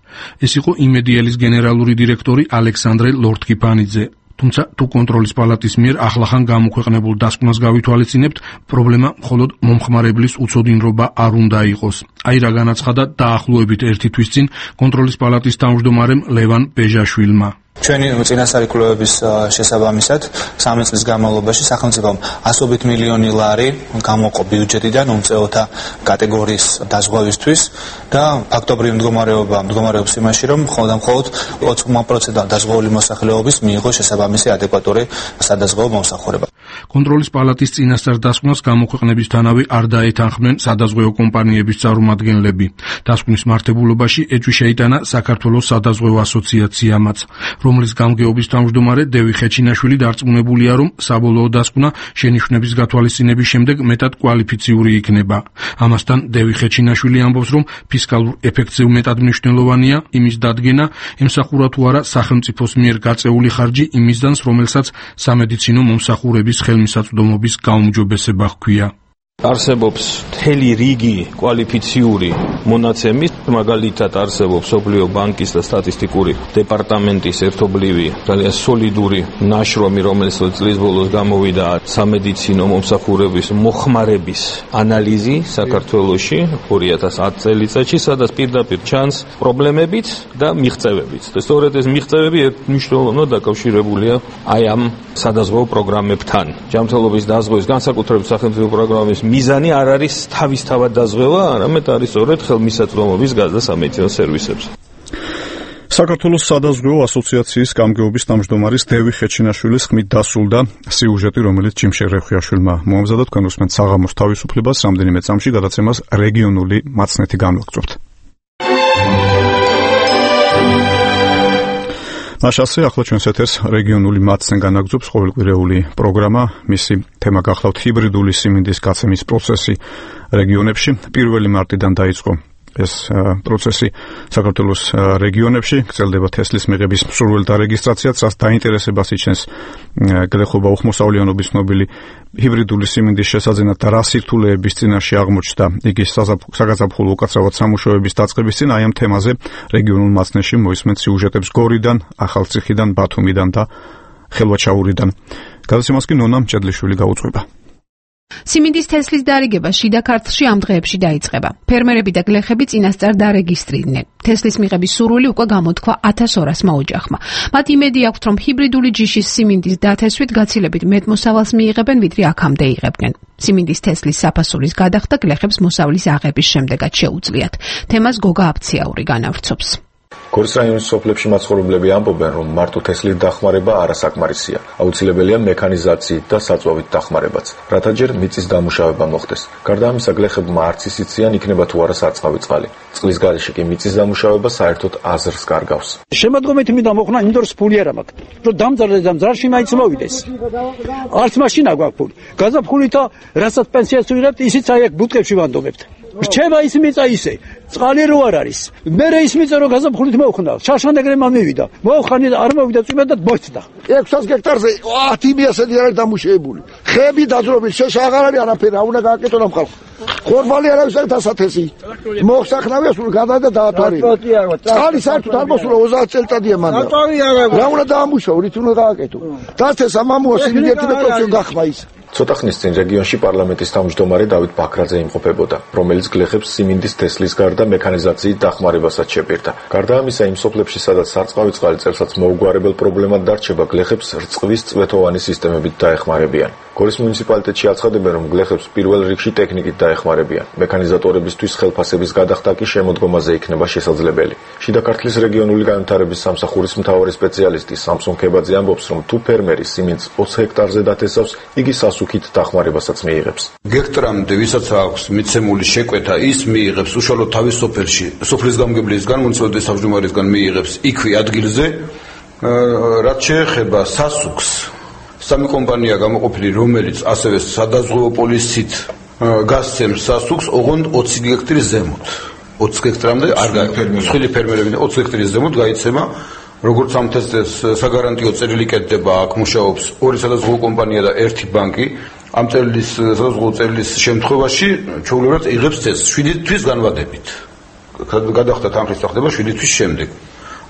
ეს იყო იმედიელის გენერალური დირექტორი ალექსანდრე ლორთქიფანიძე. თუმცა თუ კონტროლის პალატის მიერ ახლახან გამოქვეყნებულ დასკვნას გავითვალისწინებთ, პრობლემა მხოლოდ მომხმარებლის უცოდინრობა არ უნდა იყოს. აი რა განაცხადა დაახლოებით ერთი თვის წინ კონტროლის პალატის თავმჯდომარემ ლევან ბეჟაშვილმა. ჩვენი წინასწარი კვლევების შესაბამისად სამი წლის განმავლობაში სახელმწიფომ ასობით მილიონი ლარი გამოყო ბიუჯეტიდან უმწეოთა კატეგორიის დაზღვევისთვის და ფაქტობრივი მდგომარეობა მდგომარეობს იმაში, რომ მხოლოდ და მხოლოდ ოცი პროცენტი დაზღვეული მოსახლეობის მიიღო შესაბამისი ადეკვატური სადაზღვევო მომსახურება. კონტროლის პალატის წინასწარ დასკვნას გამოქვეყნებისთანავე არ დაეთანხმნენ სადაზღვევო კომპანიების წარმომადგენლები. დასკვნის მართებულობაში ეჭვი შეიტანა საქართველოს სადაზღვევო ასოციაციამაც, რომლის გამგეობის თავმჯდომარე დევი ხეჩინაშვილი დარწმუნებულია, რომ საბოლოო დასკვნა შენიშვნების გათვალისწინების შემდეგ მეტად კვალიფიციური იქნება. ამასთან დევი ხეჩინაშვილი ამბობს, რომ ფისკალურ ეფექტზე მეტად მნიშვნელოვანია იმის დადგენა, ემსახურა თუ არა სახელმწიფოს მიერ გაწეული ხარჯი იმ მიზანს, რომელსაც სამედიცინო მომსახურების ხელმისაწვდომობის გაუმჯობესება ჰქვია. არსებობს მთელი რიგი კვალიფიციური მონაცემის, მაგალითად არსებობს მსოფლიო ბანკის და სტატისტიკური დეპარტამენტის ერთობლივი ძალიან სოლიდური ნაშრომი, რომელიც წლის ბოლოს გამოვიდა სამედიცინო მომსახურების მოხმარების ანალიზი საქართველოში ორი ათას ათი წელიწადში, სადაც პირდაპირ ჩანს პრობლემებიც და მიღწევებიც. სწორედ ეს მიღწევები მნიშვნელოვნად დაკავშირებულია აი ამ სადაზღვევო პროგრამებთან. ჯანმრთელობის დაზღვევის განსაკუთრებით სახელმწიფო პროგრამის მიზანი არ არის თავისთავად დაზღვევა, არამედ არის სწორედ ხელმისაწვდომობის გაზდა სამედიცინო სერვისებზე. საქართველოს სადაზღვევო ასოციაციის გამგეობის თავმჯდომარის დევი ხეჩინაშვილის ხმით დასრულდა სიუჟეტი, რომელიც ჯიმშე რეხიაშვილმა მოამზადა. თქვენ უსმენთ საღამოს თავისუფლებას, რამდენიმე წამში გადაცემას რეგიონული მაცნეთი განვაგრძობთ. მაშასე ახლა ჩვენს ეთერს რეგიონული მაცნე განაგრძობს ყოველკვირეული პროგრამა. მისი თემა გახლავთ ჰიბრიდული სიმინდის გაცემის პროცესი რეგიონებში. პირველი მარტიდან დაიწყო ეს პროცესი საქართველოს რეგიონებში. გრძელდება თესლის მიღების მსურველთა რეგისტრაციაც, რაც დაინტერესებას იჩენს გლეხობა უხმოსავლიანობის ცნობილი ჰიბრიდული სიმინდის შესაძენად და რა სირთულეების წინაშე აღმოჩნდა იგი საგაზაფხულო უკაცრავად სამუშაოების დაწყების წინ. აი ამ თემაზე რეგიონულ მაცნეში მოისმენთ სიუჟეტებს გორიდან, ახალციხიდან, ბათუმიდან და ხელვაჩაურიდან. გადაცემას კი ნონა მჭედლიშვილი გაუძღვება. სიმინდის თესლის დარიგება შიდა ქართლში ამ დღეებში დაიწყება. ფერმერები და გლეხები წინასწარ დარეგისტრირდნენ. თესლის მიღების სურვილი უკვე გამოთქვა ათას ორასმა ოჯახმა. მათ იმედი აქვთ, რომ ჰიბრიდული ჯიშის სიმინდის დათესვით გაცილებით მეტ მოსავალს მიიღებენ, ვიდრე აქამდე იღებდნენ. სიმინდის თესლის საფასურის გადახდა გლეხებს მოსავლის აღების შემდეგაც შეუძლიათ. თემას გოგა აფციაური განავრცობს. გორის რაიონის სოფლებში მაცხოვრებლები ამბობენ, რომ მარტო თესლის დახმარება არასაკმარისია. აუცილებელია მექანიზაციით და საწვავით დახმარებაც, რათა ჯერ მიწის დამუშავება მოხდეს. გარდა ამისა, გლეხებმა არც იციან იქნება თუ არა სარწყავი წყალი. წყლის გარეშე კი მიწის დამუშავება საერთოდ აზრს კარგავს. შემოდგომით მინდა მოხნა ინდორს ფული არ მაქვს. რომ დამძარდეს დამძარში მაინც მოვიდეს. არც მაშინა გვაქვს ფული. გაზაფხულითა რასაც პენსიას ვიღებთ, ისიც აი აქ ბუტკებში ვანდობებთ. რჩება ის მიწა ისე, წყალი რო არ არის. მერე ის მიწა რო გაზაფხულით მოვხდა, შაშანეგრემა მივიდა. მოვხანი არ მოვიდა წვიმა და მოწდა. ექვსას გექტარზე ათი მიასეთი არის დამუშავებული. ხეები დაძრობის შეშ აღარ არის არაფერი, უნდა გააკეთონ ამ ხალხს. ხორბალი არავის არ დასათესი. მოხსახნავია სულ გადადა დაათვალიერა. წყალი საერთოდ არ მოსულა ოცდაათ წელიწადია მანდა. რა უნდა დაამუშავო, რით უნდა გააკეთო. დასთეს ამამოა სიმინდი პროცესი გახმა ის. ცოტა ხნის წინ რეგიონში პარლამენტის თავმჯდომარე დავით ბაქრაძე იმყოფებოდა, რომელიც გლეხებს სიმინდის თესლის გარდა მექანიზაციით დახმარებასაც შეპირდა. გარდა ამისა, იმ სოფლებში, სადაც სარწყავი წყალი წელსაც მოუგვარებელ პრობლემად დარჩება, გლეხებს რწყვის წვეთოვანი სისტემებით დაეხმარებიან. გორის მუნიციპალიტეტში აცხადებენ, რომ გლეხებს პირველ რიგში ტექნიკით დაეხმარებიან. მექანიზატორებისთვის ხელფასების გადახდა კი შემოდგომაზე იქნება შესაძლებელი. შიდა ქართლის რეგიონული განვითარების სამსახურის მთავარი სპეციალისტი სამსონ ქებაძე ამბობს, რომ თუ ფერმერი სიმინდს ოცი ჰექტარზე დათესავს, იგი სასუქით დახმარებასაც მიიღებს. გექტრამდე ვისაც აქვს მიცემული შეკვეთა, ის მიიღებს უშუალოდ თავის სოფელში, სოფლის გამგებლისგან, მუნიციპალიტეტის თავმჯდომარისგან მიიღებს იქვე ადგილზე. რაც შეეხება სასუქს, სამი კომპანია გამოყოფილი, რომელიც ასევე სადაზღვევო პოლისით გასცემს სასუქს, ოღონდ ოცი გექტრის ზემოთ. ოცი გექტრამდე არ მსხვილი ფერმერები ოცი გექტრის ზემოთ გაიცემა. როგორც ამ თესლს საგარანტიო წერილი კეთდება, აქ მუშაობს ორი სადაზღვევო კომპანია და ერთი ბანკი. ამ წელის სადაზღვევო წელის შემთხვევაში ჩვეულებრივად იღებს თესლს შვიდი თვის განმავლობით. გადახდა თანხის წახდება შვიდი თვის შემდეგ.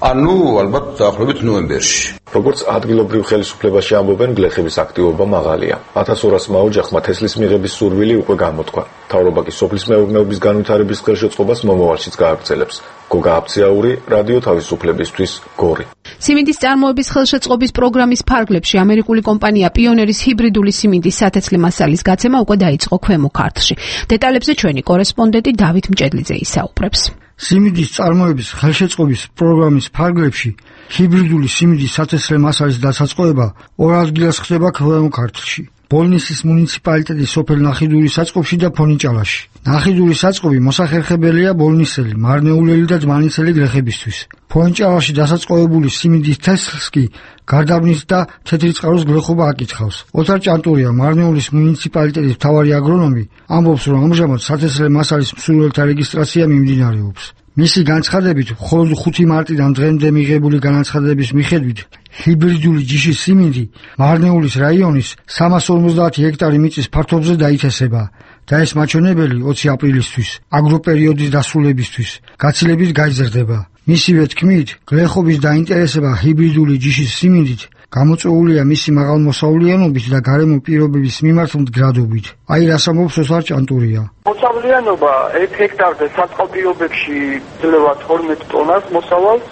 ანუ ალბათ დაახლოებით ნოემბერში. როგორც ადგილობრივ ხელისუფლებაში ამბობენ, გლეხების აქტივობა მაღალია. ათას ორასმა ოჯახმა თესლის მიღების სურვილი უკვე გამოთქვა. მთავრობა კი სოფლის მეურნეობის განვითარების ხელშეწყობას მომავალშიც გააგრძელებს. გოგა აფციაური, რადიო თავისუფლებისთვის, გორი. სიმინდის წარმოების ხელშეწყობის პროგრამის ფარგლებში ამერიკული კომპანია პიონერის ჰიბრიდული სიმინდის სათესლე მასალის გაცემა უკვე დაიწყო ქვემო ქართლში. დეტალებზე ჩვენი კორესპონდენტი დავით მჭედლიძე ისაუბრებს. სიმინდის წარმოების ხელშეწყობის პროგრამის ფარგლებში ჰიბრიდული სიმინდის სათესლე მასალის დასაწყოება ორ ადგილას ხდება ქვემო ქართლში. ბოლნისის მუნიციპალიტეტის სოფელ ნახიდურის საწყობში და ფონიჭალაში. ნახიდურის საწყობი მოსახერხებელია ბოლნისელი, მარნეულელი და ძმანისელი გლეხებისთვის. ფონიჭალაში დასაწყობებული სიმინდის თესლს კი გარდაბნის და თეთრი წყაროს გლეხობა აკითხავს. ოთარ ჭანტურია, მარნეულის მუნიციპალიტეტის მთავარი აგრონომი, ამბობს, რომ ამჟამად სათესლე მასალის მსურველთა რეგისტრაცია მიმდინარეობს. მისი განცხადებით, მხოლოდ ხუთი მარტიდან დღემდე მიღებული განაცხადების მიხედვით, ჰიბრიდული ჯიშის სიმინდი მარნეულის რაიონის სამას ორმოცდაათი ჰექტარი მიწის ფართობზე დაითესება. და ეს მაჩვენებელი ოცი აპრილისთვის, აგროპერიოდის დასრულებისთვის, გაცილებით გაიზრდება. მისივე თქმით, გლეხობის დაინტერესება ჰიბრიდული ჯიშის სიმინდით გამოწვეულია მისი მაღალმოსავლიანობით და გარემო პირობების მიმართ მდგრადობით. აი რას ამბობს ოსარ ჭანტურია. მოსავლიანობა ერთ ჰექტარზე საწყალ პირობებში ძლევა თორმეტ ტონას მოსავალს,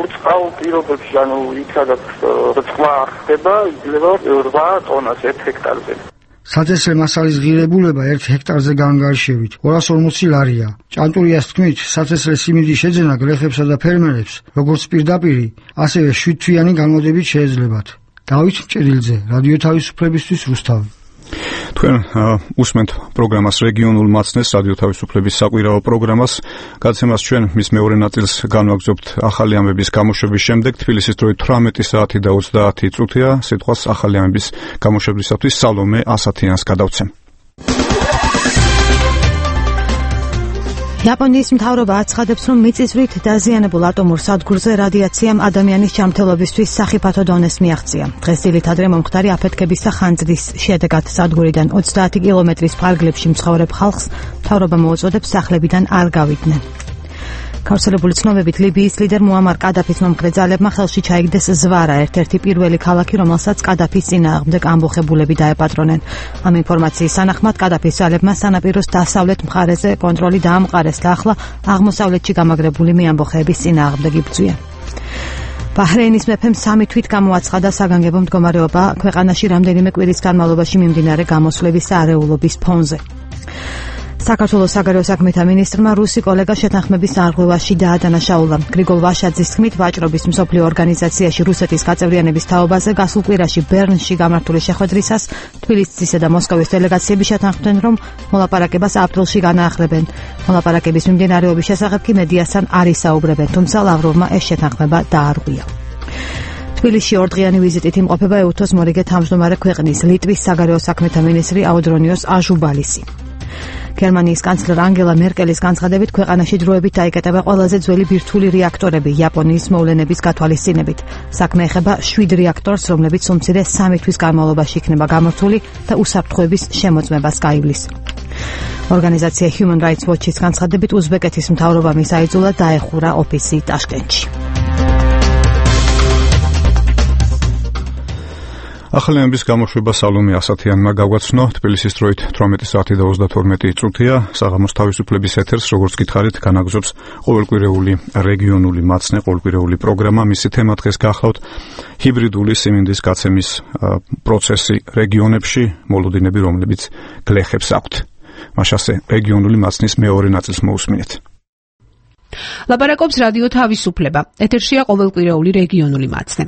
ურწყავ პირობებში, ანუ იქ სადაც რწყვა ხდება, ძლევა რვა ტონას ერთ ჰექტარზე. საწესრე მასალის ღირებულება ერთ ჰექტარზე განგარიშებით ორას ორმოცი ლარია. ჭანტურიას თქმით, საწესრე სიმინდის შეძენა გლეხებსა და ფერმერებს, როგორც პირდაპირი, ასევე შვიდთვიანი განმავლობით შეეძლებათ. დავით მჭედილძე, რადიო თავისუფლებისთვის რუსთავი. თქვენ უსმენთ პროგრამას რეგიონულ მაცნეს, რადიო თავისუფლების საკვირაო პროგრამას. გადაცემას ჩვენ მის მეორე ნაწილს განვაგრძობთ ახალი ამბების გამოშვების შემდეგ. თბილისის დროით თვრამეტი საათი და ოცდაათი წუთია. სიტყვას ახალი ამბების გამოშვებისათვის სალომე ასათიანს გადავცემ. იაპონიის მთავრობა აცხადებს, რომ მიწისძვრით დაზიანებულ ატომურ სადგურზე რადიაციამ ადამიანის ჯანმრთელობისთვის სახიფათო დონეს მიაღწია. დღეს დილით ადრე მომხდარი აფეთქების და ხანძრის შედეგად სადგურიდან ოცდაათი კილომეტრის ფარგლებში მცხოვრებ ხალხს მთავრობა მოუწოდებს სახლებიდან არ გავიდნენ. გავრცელებული ცნობებით ლიბიის ლიდერ მუამარ კადაფის მომხრე ძალებმა ხელში ჩაიგდეს ზვარა, ერთ-ერთი პირველი ქალაქი, რომელსაც კადაფის წინააღმდეგ ამბოხებულები დაეპატრონენ. ამ ინფორმაციის თანახმად კადაფის ძალებმა სანაპიროს დასავლეთ მხარეზე კონტროლი დაამყარეს და ახლა აღმოსავლეთში გამაგრებული მეამბოხეების წინააღმდეგ იბრძვიან. ბაჰრეინის მეფემ სამი თვით გამოაცხადა საგანგებო მდგომარეობა ქვეყანაში რამდენიმე კვირის განმავლობაში მიმდინარე გამოსვლების არეულობის ფონზე. საქართველოს საგარეო საქმეთა მინისტრმა რუსი კოლეგა შეთანხმების არღვევაში დაადანაშაულა. გრიგოლ ვაშაძის თქმით, ვაჭრობის მსოფლიო ორგანიზაციაში რუსეთის გაწევრიანების თაობაზე გასულ კვირაში ბერნში გამართული შეხვედრისას თბილისისა და მოსკოვის დელეგაციები შეთანხმდნენ, რომ მოლაპარაკებას აპრილში განაახლებენ. მოლაპარაკების მიმდინარეობის შესახებ კი მედიასთან არ ისაუბრებენ, თუმცა ლავროვმა ეს შეთანხმება დაარღვია. თბილისში ორდღიანი ვიზიტით იმყოფება ეუთოს მორიგე თავმჯდომარე ქვეყნის ლიტვის საგარეო საქმეთა მინისტრი აუდრონიოს აჟუბალისი. გერმანიის კანცლერ ანგელა მერკელის განცხადებით, ქვეყანაში დროებით დაიკეტება ყველაზე ძველი ბირთვული რეაქტორები იაპონიის მოვლენების გათვალისწინებით. საქმე ეხება შვიდ რეაქტორს, რომლებიც უმცირე სამი თვის განმავლობაში იქნება გამართული და უსაფრთხოების შემოწმებას გაივლის. ორგანიზაცია Human Rights Watch-ის განცხადებით, უზბეკეთის მთავრობამ ისაიძულა დაეხურა ოფისი ტაშკენტში. ახალი ამბების გამოშვება სალომე ასათიანმა გავგაცნო. თბილისის დროით თვრამეტი საათი და ოცდათორმეტი წუთია. საღამოს თავისუფლების ეთერს, როგორც გითხარით, განაგზობს ყოველკვირეული რეგიონული მაცნე, ყოველკვირეული პროგრამა. მისი თემა დღეს გახლავთ ჰიბრიდული სიმინდის გაცემის პროცესი რეგიონებში, მოლოდინები, რომლებიც გლეხებს აქვთ. მაშასე რეგიონული მაცნის მეორე ნაწილს მოусმინეთ. ლაპარაკობს რადიო თავისუფლება. ეთერშია ყოველკვირეული რეგიონული მაცნე.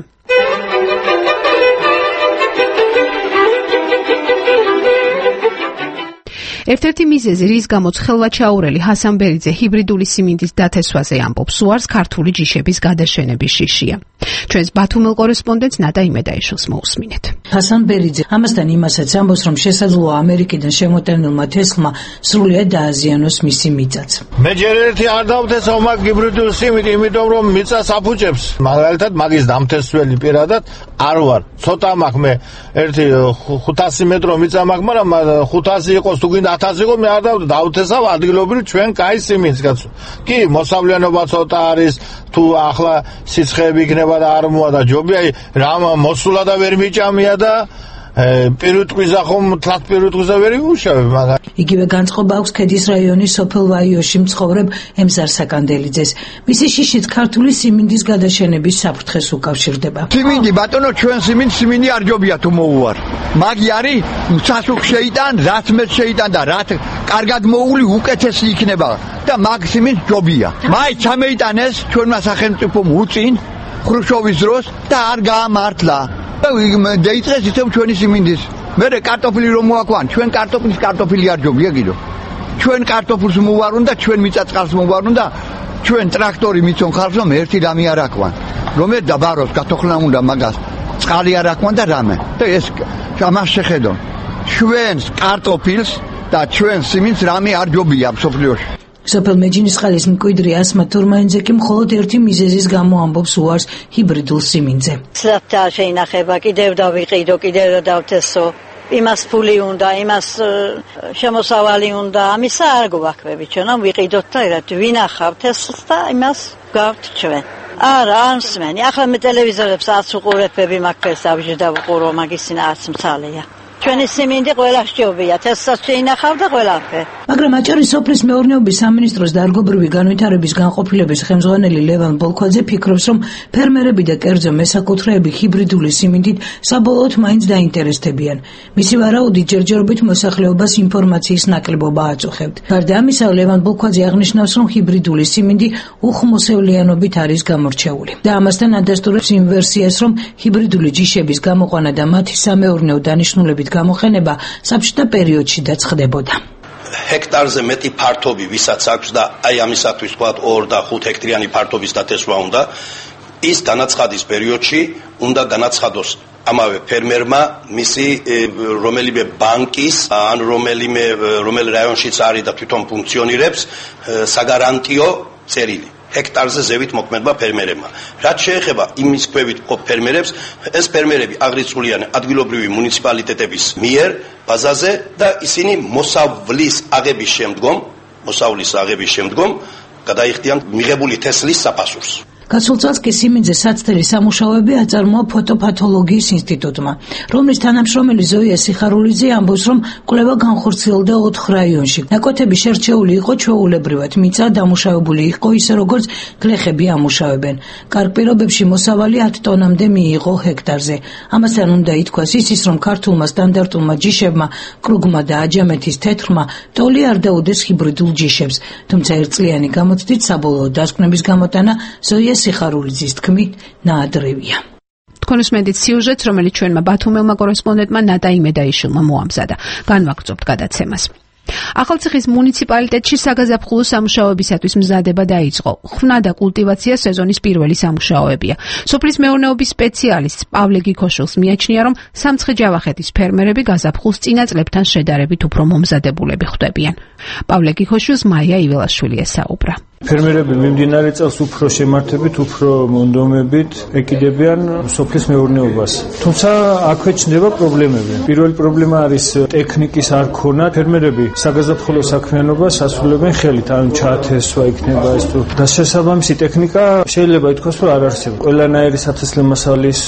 ერთ-ერთი მიზეზი, რის გამოც ხელვაჩაურელი ჰასან ბერიძე ჰიბრიდული სიმინდის დათესვაზე ამბობს, უარს ქართული ჯიშების გადაშენების შიშია. ჩვენს ბათუმელ კორესპონდენტს ნადა იმედაიშვილს მოусმინეთ. ჰასან ბერიძე ამასთან იმასაც ამბობს, რომ შესაძლოა ამერიკიდან შემოტანილმა თესლმა სრულიად დააზიანოს მისი მიწაც. მე ჯერ ერთი არ დავთესავ მაგ ჰიბრიდულ სიმინდი, იმიტომ რომ მიწას აფუჭებს. მაგალითად, მაგის დამთესველი პირადად არ ვარ. ცოტა მაქვს მე ერთი ხუთასი მეტრო მიწა მაქვს, მაგრამ ხუთასი იყოს თუ გინდა ათასი იყო, მე არ დავთესავ ადგილობრივ ჩვენ კაი სიმინდს კაცო. კი, მოსავლიანობა ცოტა არის, თუ ახლა სიცხეები იქნება და არ მოა და ჯობია რამ მოსულა და ვერ მიჭამია და პირუტყვიზა ხომ თლათ პირუტყვიზა ვერ იმუშავებ მაგა. იგივე განწყობა აქვს ქედის რაიონის სოფელ ვაიოში მცხოვრებ ემზარ საკანდელიძეს. მისი შიშით ქართული სიმინდის გადაშენების საფრთხეს უკავშირდება. სიმინდი ბატონო, ჩვენ სიმინდი სიმინდი არ ჯობია თუ მოუვარ. მაგი არის სასუქ შეიტან, რაც მე შეიტან და რაც კარგად მოული უკეთესი იქნება და მაგ სიმინდი ჯობია. მაი ჩამეიტანეს ჩვენმა სახელმწიფომ უწინ ხრუშჩოვის დროს და არ გაამართლა. დაიწყეს ისევ ჩვენი სიმინდის. მერე კარტოფილი რომ მოაქვან, ჩვენ კარტოფილის კარტოფილი არ ჯობია კიდო. ჩვენ კარტოფილს მოვარუნ და ჩვენ მიწაწყალს მოვარუნ და ჩვენ ტრაქტორი მიცონ ხალხს რომ ერთი რამე არ აქვან. რომ ერთ დაბაროს გათოხლა უნდა მაგას. წყალი არ აქვან და რამე. და ეს ამას შეხედო. ჩვენს კარტოფილს და ჩვენ სიმინდს რამე არ ჯობია მსოფლიოში. სოფელ მეჯინისყალის მკვიდრი ასმა თურმანიძე კი მხოლოდ ერთი მიზეზის გამო ამბობს უარს ჰიბრიდულ სიმინდზე. სლაფთა შეინახება, კიდევ დავიყიდო, კიდევ დავთესო. იმას ფული უნდა, იმას შემოსავალი უნდა, ამისა არ გვაქვს ჩვენ, რომ ვიყიდოთ და ვინახავთ ეს და იმას გავთ ჩვენ. არა, არ მსმენი. ახლა მე ტელევიზორებს არც უყურებები მაქვს, დავჟდა ვყურო, მაგის წინ არც მცალია. ჩვენი სიმინდი ყველა სჯობია, თესსაც შეინახავ და ყველაფერი. მაგრამ აჭარის სოფლის მეურნეობის სამინისტროს დარგობრივი განვითარების განყოფილების ხელმძღვანელი ლევან ბოლქვაძე ფიქრობს, რომ ფერმერები და კერძო მესაკუთრეები ჰიბრიდული სიმინდით საბოლოოდ მაინც დაინტერესდებიან. მისი ვარაუდით ჯერჯერობით მოსახლეობას ინფორმაციის ნაკლებობა აწუხებთ. გარდა ამისა, ლევან ბოლქვაძე აღნიშნავს, რომ ჰიბრიდული სიმინდი უხმოსევლიანობით არის გამორჩეული. და ამასთან ადასტურებს იმ ვერსიას, რომ ჰიბრიდული ჯიშების გამოყვანა და მათი სამეურნეო დანიშნულებით გამოყენება საბჭოთა პერიოდში დაწყდებოდა. ჰექტარზე მეტი ფართობი ვისაც აქვს და აი ამისათვის თქვა ორ და ხუთ ჰექტრიანი ფართობის დათესვა უნდა, ის განაცხადის პერიოდში უნდა განაცხადოს ამავე ფერმერმა მისი რომელიმე ბანკის ან რომელიმე რომელ რაიონშიც არის და თვითონ ფუნქციონირებს საგარანტიო წერილი. ჰექტარზე ზევით მოქმედმა ფერმერებმა. რაც შეეხება იმის ქვევით მყოფ ფერმერებს, ეს ფერმერები აღრიცხულიან ადგილობრივი მუნიციპალიტეტების მიერ ბაზაზე და ისინი მოსავლის აღების შემდგომ, მოსავლის აღების შემდგომ გადაიხდიან მიღებული თესლის საფასურს. გასულ წელს კი სიმინძე საცდელი სამუშაოები აწარმოა ფოტოპათოლოგიის ინსტიტუტმა, რომლის თანამშრომელი ზოია სიხარულიძე ამბობს, რომ კვლევა განხორციელდა ოთხ რაიონში. ნაკვეთები შერჩეული იყო ჩვეულებრივად, მიწა დამუშავებული იყო ისე როგორც გლეხები ამუშავებენ. კარგ პირობებში მოსავალი ათ ტონამდე მიიღო ჰექტარზე. ამასთან უნდა ითქვას ისიც, რომ ქართულმა სტანდარტულმა ჯიშებმა, კრუგმა და აჯამეთის თეთრმა ტოლი არ დაუდეს ჰიბრიდულ ჯიშებს, თუმცა ერთწლიანი გამოცდით საბოლოო დასკვნების გამოტანა ზოია სიხარულიძის თქმით ნაადრევია. თქვენ უსმენთ სიუჟეტს, რომელიც ჩვენმა ბათუმელმა კორესპონდენტმა ნატა იმედაიშვილმა მოამზადა. განვაგრძობთ გადაცემას. ახალციხის მუნიციპალიტეტში საგაზაფხულო სამუშაოებისათვის მზადება დაიწყო. ხვნა და კულტივაცია სეზონის პირველი სამუშაოებია. სოფლის მეურნეობის სპეციალისტ პავლე გიქოშვილს მიაჩნია, რომ სამცხე-ჯავახეთის ფერმერები გაზაფხულს წინა წლებთან შედარებით უფრო მომზადებულები ხვდებიან. პავლე გიქოშვილს მაია იველაშვილი ესაუბრა. ფერმერები მიმდინარე წელს უფრო შემართებით, უფრო მონდომებით ეკიდებიან სოფლის მეურნეობას. თუმცა აქვე ჩნდება პრობლემები. პირველი პრობლემა არის ტექნიკის არ ქონა. ფერმერები საგაზაფხულო საქმიანობას ასრულებენ ხელით, ან ჩაათესვა იქნება ეს თუ და შესაბამისი ტექნიკა შეიძლება ითქვას, რომ არ არსებობს. ყველანაირი სათესლე მასალის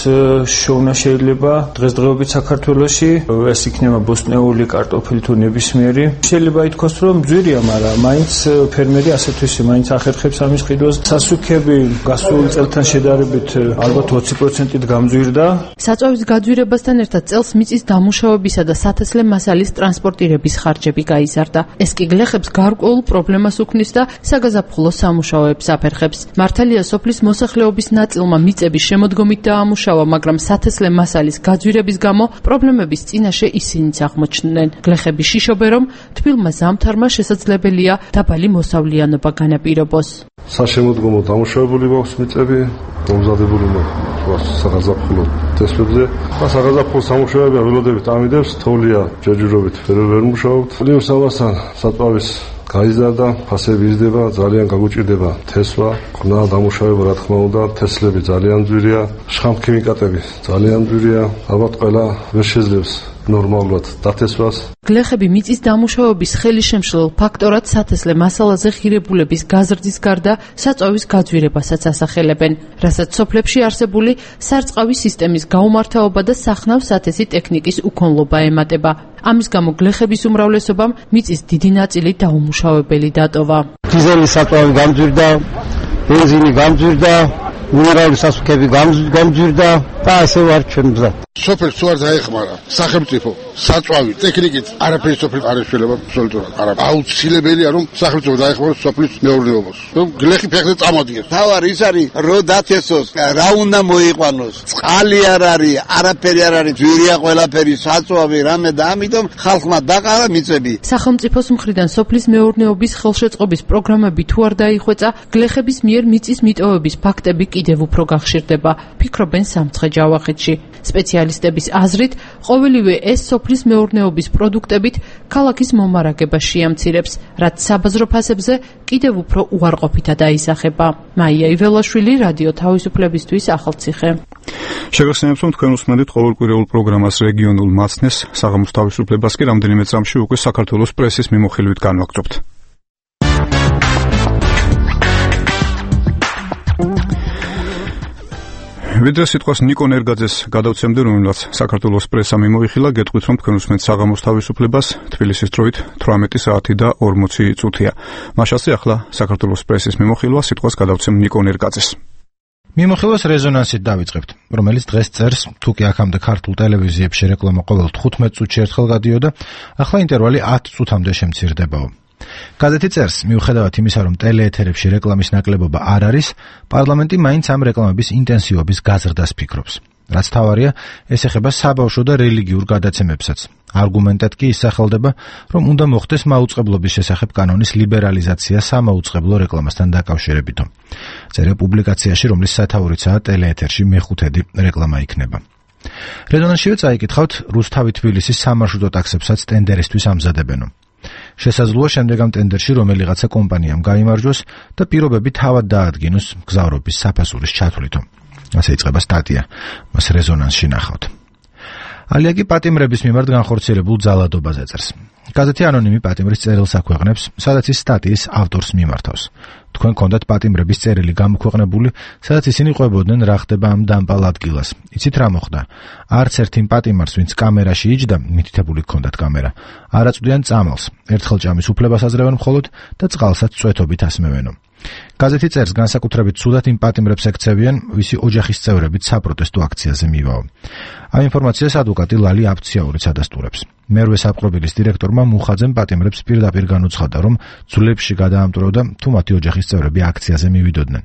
შოვნა შეიძლება დღესდღეობით საქართველოში, ეს იქნება ბოსტნეული კარტოფილი თუ ნებისმიერი. შეიძლება ითქვას, რომ ძვირია, მაგრამ მაინც ფერმერი ასეთვისი მაინც ახერხებს ამის ყიდვას. სასუქები გასულ წელთან შედარებით ალბათ ოცი პროცენტით გამძვირდა. საწვავის გაძვირებასთან ერთად წელს მიწის დამუშავებისა და სათესლე მასალის ტრანსპორტირების ხარჯები გაიზარდა. ეს კი გლეხებს გარკვეულ პრობლემას უქმნის და საგაზაფხულო სამუშაოებს აფერხებს. მართალია სოფლის მოსახლეობის ნაწილმა მიწების შემოდგომით დაამუშავა, მაგრამ სათესლე მასალის გაძვირების გამო პრობლემების წინაშე ისინიც აღმოჩნდნენ. გლეხები შიშობენ, რომ თბილმა ზამთარმა შესაძლებელია დაბალი მოსავლიანობა განაპირობოს. საშემოდგომო დამუშავებული გვაქვს მიწები, მომზადებული გვაქვს საგაზაფხულო თესლებზე. და საგაზაფხულო სამუშაოები ველოდებით ამიდებს, თოვლია ჯერჯერობით ვერ მუშაობთ. ლიოს ამასთან საწვავის გაიზარდა, ფასები იზრდება, ძალიან გაგუჭირდება თესვა, ყვნა დამუშავება რა თქმა უნდა, თესლები ძალიან ძვირია, შხამქიმიკატები ძალიან ძვირია, ალბათ ყველა ვერ შეძლებს ნორმალურად დათესვას. გლეხები მიწის დამუშავების ხელისშემშლელ ფაქტორად სათესლე მასალაზე ღირებულების გაზრდის გარდა საწვავის გაძვირებასაც ასახელებენ, რასაც სოფლებში არსებული სარწყავი სისტემის გაუმართავობა და სახნავ სათესი ტექნიკის უქონლობა ემატება. ამის გამო გლეხების უმრავლესობამ მიწის დიდი ნაწილი დაუმუშავებელი დატოვა. დიზელის საწვავი გამძვირდა, ბენზინი გამძვირდა, მინერალური სასუქები გამძვირდა და ასე ვარ ჩვენ მზად. სოფელს თუ არ დაეხმარა სახელმწიფო საწვავი ტექნიკით არაფერი სოფლის არ შეიძლება აბსოლუტურად არა. აუცილებელია რომ სახელმწიფო დაეხმაროს სოფლის მეურნეობას. რომ გლეხი ფეხზე წამოდიეს. თავარი ის არის რო დათესოს, რა უნდა მოიყვანოს. წყალი არ არის, არაფერი არ არის, ძვირია ყველაფერი, საწვავი რამე და ამიტომ ხალხმა დაყარა მიწები. სახელმწიფოს მხრიდან სოფლის მეურნეობის ხელშეწყობის პროგრამები თუ არ დაიხვეწა, გლეხების მიერ მიწის მიტოვების ფაქტები კიდევ უფრო გახშირდება. ფიქრობენ სამცხე ჯავახეთში. სპეციალისტების აზრით, ყოველივე ეს სოფლის მეურნეობის პროდუქტებით ქალაქის მომარაგებას შეამცირებს, რაც საბაზრო ფასებზე კიდევ უფრო უარყოფითად აისახება. მაია იველაშვილი, რადიო თავისუფლებისთვის, ახალციხე. შეგახსენებთ, რომ თქვენ უსმენთ ყოველკვირეულ პროგრამას რეგიონულ მაცნეს, საღამოს თავისუფლებას კი რამდენიმე წამში უკვე საქართველოს პრესის მიმოხილვით განვაგრძობთ. ვიდრე სიტყვას ნიკო ნერგაძეს გადავცემდი, რომელსაც საქართველოს პრესა მიმოიხილა, გეტყვით, რომ თქვენ უსმენთ საღამოს თავისუფლებას, თბილისის დროით თვრამეტი საათი და ორმოცი წუთია. მაშასე ახლა საქართველოს პრესის მიმოხილვა, სიტყვას გადავცემ ნიკო ნერგაძეს. მიმოხილვას რეზონანსით დავიწყებთ, რომელიც დღეს წერს, თუ კი აქამდე ქართულ ტელევიზიებში რეკლამა ყოველ თხუთმეტ წუთში ერთხელ გადიოდა, ახლა ინტერვალი ათ წუთამდე შემცირდებაო. გაზეთი წერს, მიუხედავად იმისა, რომ ტელეეთერებში რეკლამის ნაკლებობა არ არის, პარლამენტი მაინც ამ რეკლამების ინტენსივობის გაზრდას ფიქრობს. რაც თავარია, ეს ეხება საბავშვო და რელიგიურ გადაცემებსაც. არგუმენტად კი ისახელდება, რომ უნდა მოხდეს მაუწყებლობის შესახებ კანონის ლიბერალიზაცია სამაუწყებლო რეკლამასთან დაკავშირებითო. წერია პუბლიკაციაში, რომლის სათაურიცაა ტელეეთერში მეხუთედი რეკლამა იქნება. რეზონანსშივე წაიკითხავთ, რუსთავი თბილისის სამარშრუტო ტაქსებსაც ტენდერისთვის ამზადებენო. შესაძლოა შემდეგ ამ ტენდერში რომელიღაცა კომპანიამ გაიმარჯვოს და პირობები თავად დაადგინოს გზავრობის საფასურის ჩათვლითო. ასე იწყება სტატია, მას რეზონანსში ნახავთ. ალია კი პატიმრების მიმართ განხორციელებულ ძალადობაზე წერს. გაზეთი ანონიმი პატიმრის წერილს აქვეყნებს, სადაც ის სტატიის ავტორს მიმართავს. თქვენ გქონდათ პატიმრების წერილი გამოქვეყნებული, სადაც ისინი ყვებოდნენ რა ხდება ამ დამპალ ადგილას. იცით რა მოხდა? არც ერთ იმ პატიმარს, ვინც კამერაში იჯდა, მითითებული გქონდათ კამერა, არ აწვდიან წამალს, ერთხელ ჭამის უფლებას აძლევენ მხოლოდ და წყალსაც წვეთობით ასმევენო. გაზეთი წერს, განსაკუთრებით ცუდად იმ პატიმრებს ექცევიან, ვისი ოჯახის წევრებით საპროტესტო აქციაზე მივაო. ამ ინფორმაციას ადვოკატი ლალი აფციაურიც ადასტურებს. მერვე საპყრობილის დირექტორმა მუხაძემ პატიმრებს პირდაპირ განუცხადა, რომ ძვლებში გადაამტვრევდა, თუ მათი ოჯახის წევრები აქციაზე მივიდოდნენ.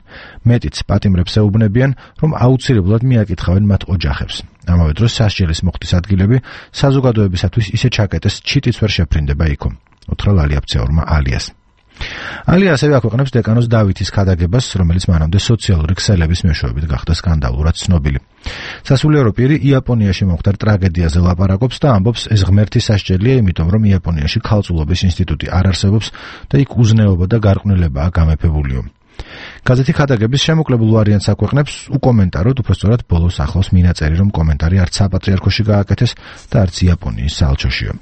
მეტიც პატიმრებს ეუბნებიან, რომ აუცილებლად მიაკითხავენ მათ ოჯახებს. ამავე დროს სასჯელის მოხდის ადგილები საზოგადოებისათვის ისე ჩაკეტეს, ჩიტიც ვერ შეფრინდება იქო. უთხრა ლალი აფციაურმა ალიას. ალია ასევე აქვეყნებს დეკანოს დავითის ქადაგებას, რომელიც მანამდე სოციალური ქსელების მეშვეობით გახდა სკანდალურად ცნობილი. სასულიერო პირი იაპონიაში მომხდარ ტრაგედიაზე ლაპარაკობს და ამბობს, ეს ღმერთის სასჯელია, იმიტომ რომ იაპონიაში ქალწულობის ინსტიტუტი არ არსებობს და იქ უზნეობა და გარყვნილებაა გამეფებულიო. გაზეთი ქადაგების შემოკლებულ ვარიანტს აქვეყნებს, უკომენტაროდ, უпростоრად ბოლოს ახლავს მინაწერი, რომ კომენტარი არც საპატრიარქოში გააკეთეს და არც იაპონიის საელჩოშიო.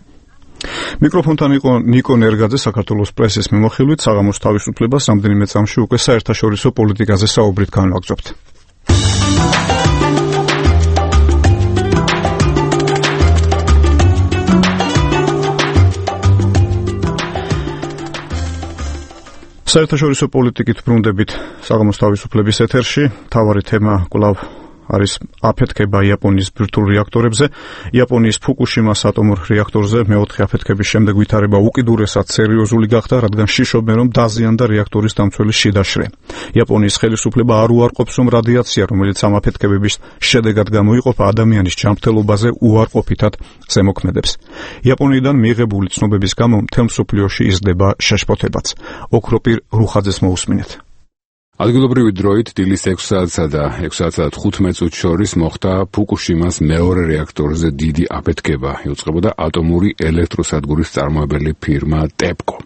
მიკროფონთან იყო ნიკო ნერგაძე, საქართველოს პრესის მიმოხილვით, საღამოს თავისუფლებას რამდენიმე წამში უკვე საერთაშორისო პოლიტიკაზე საუბრით განვაგრძობთ. საერთაშორისო პოლიტიკით ბრუნდებით საღამოს თავისუფლების ეთერში, მთავარი თემა კვლავ არის აფეთქება იაპონიის ბირთვულ რეაქტორებზე. იაპონიის ფუკუშიმას ატომურ რეაქტორზე მეოთხე აფეთქების შემდეგ ვითარება უკიდურესად სერიოზული გახდა, რადგან შიშობენ, რომ დაზიანდა რეაქტორის დამცველი შიდაშრე. იაპონიის ხელისუფლება არ უარყოფს, რომ რადიაცია, რომელიც ამ აფეთქებების შედეგად გამოიყოფა, ადამიანის ჯანმრთელობაზე უარყოფითად ზემოქმედებს. იაპონიიდან მიიღებული ცნობების გამო მთელ მსოფლიოში იზრდება შეშფოთებაც. ოქროპირ რუხაძეს მოусმინეთ. ადგილობრივი დროით დილის ექვსი საათსა და ექვსი საათსა და თხუთმეტ წუთს შორის მოხდა ფუკუშიმას მეორე რეაქტორზე დიდი აფეთქება. იუწყებოდა ატომური ელექტროსადგურის წარმოებელი ფირმა ტეპკო.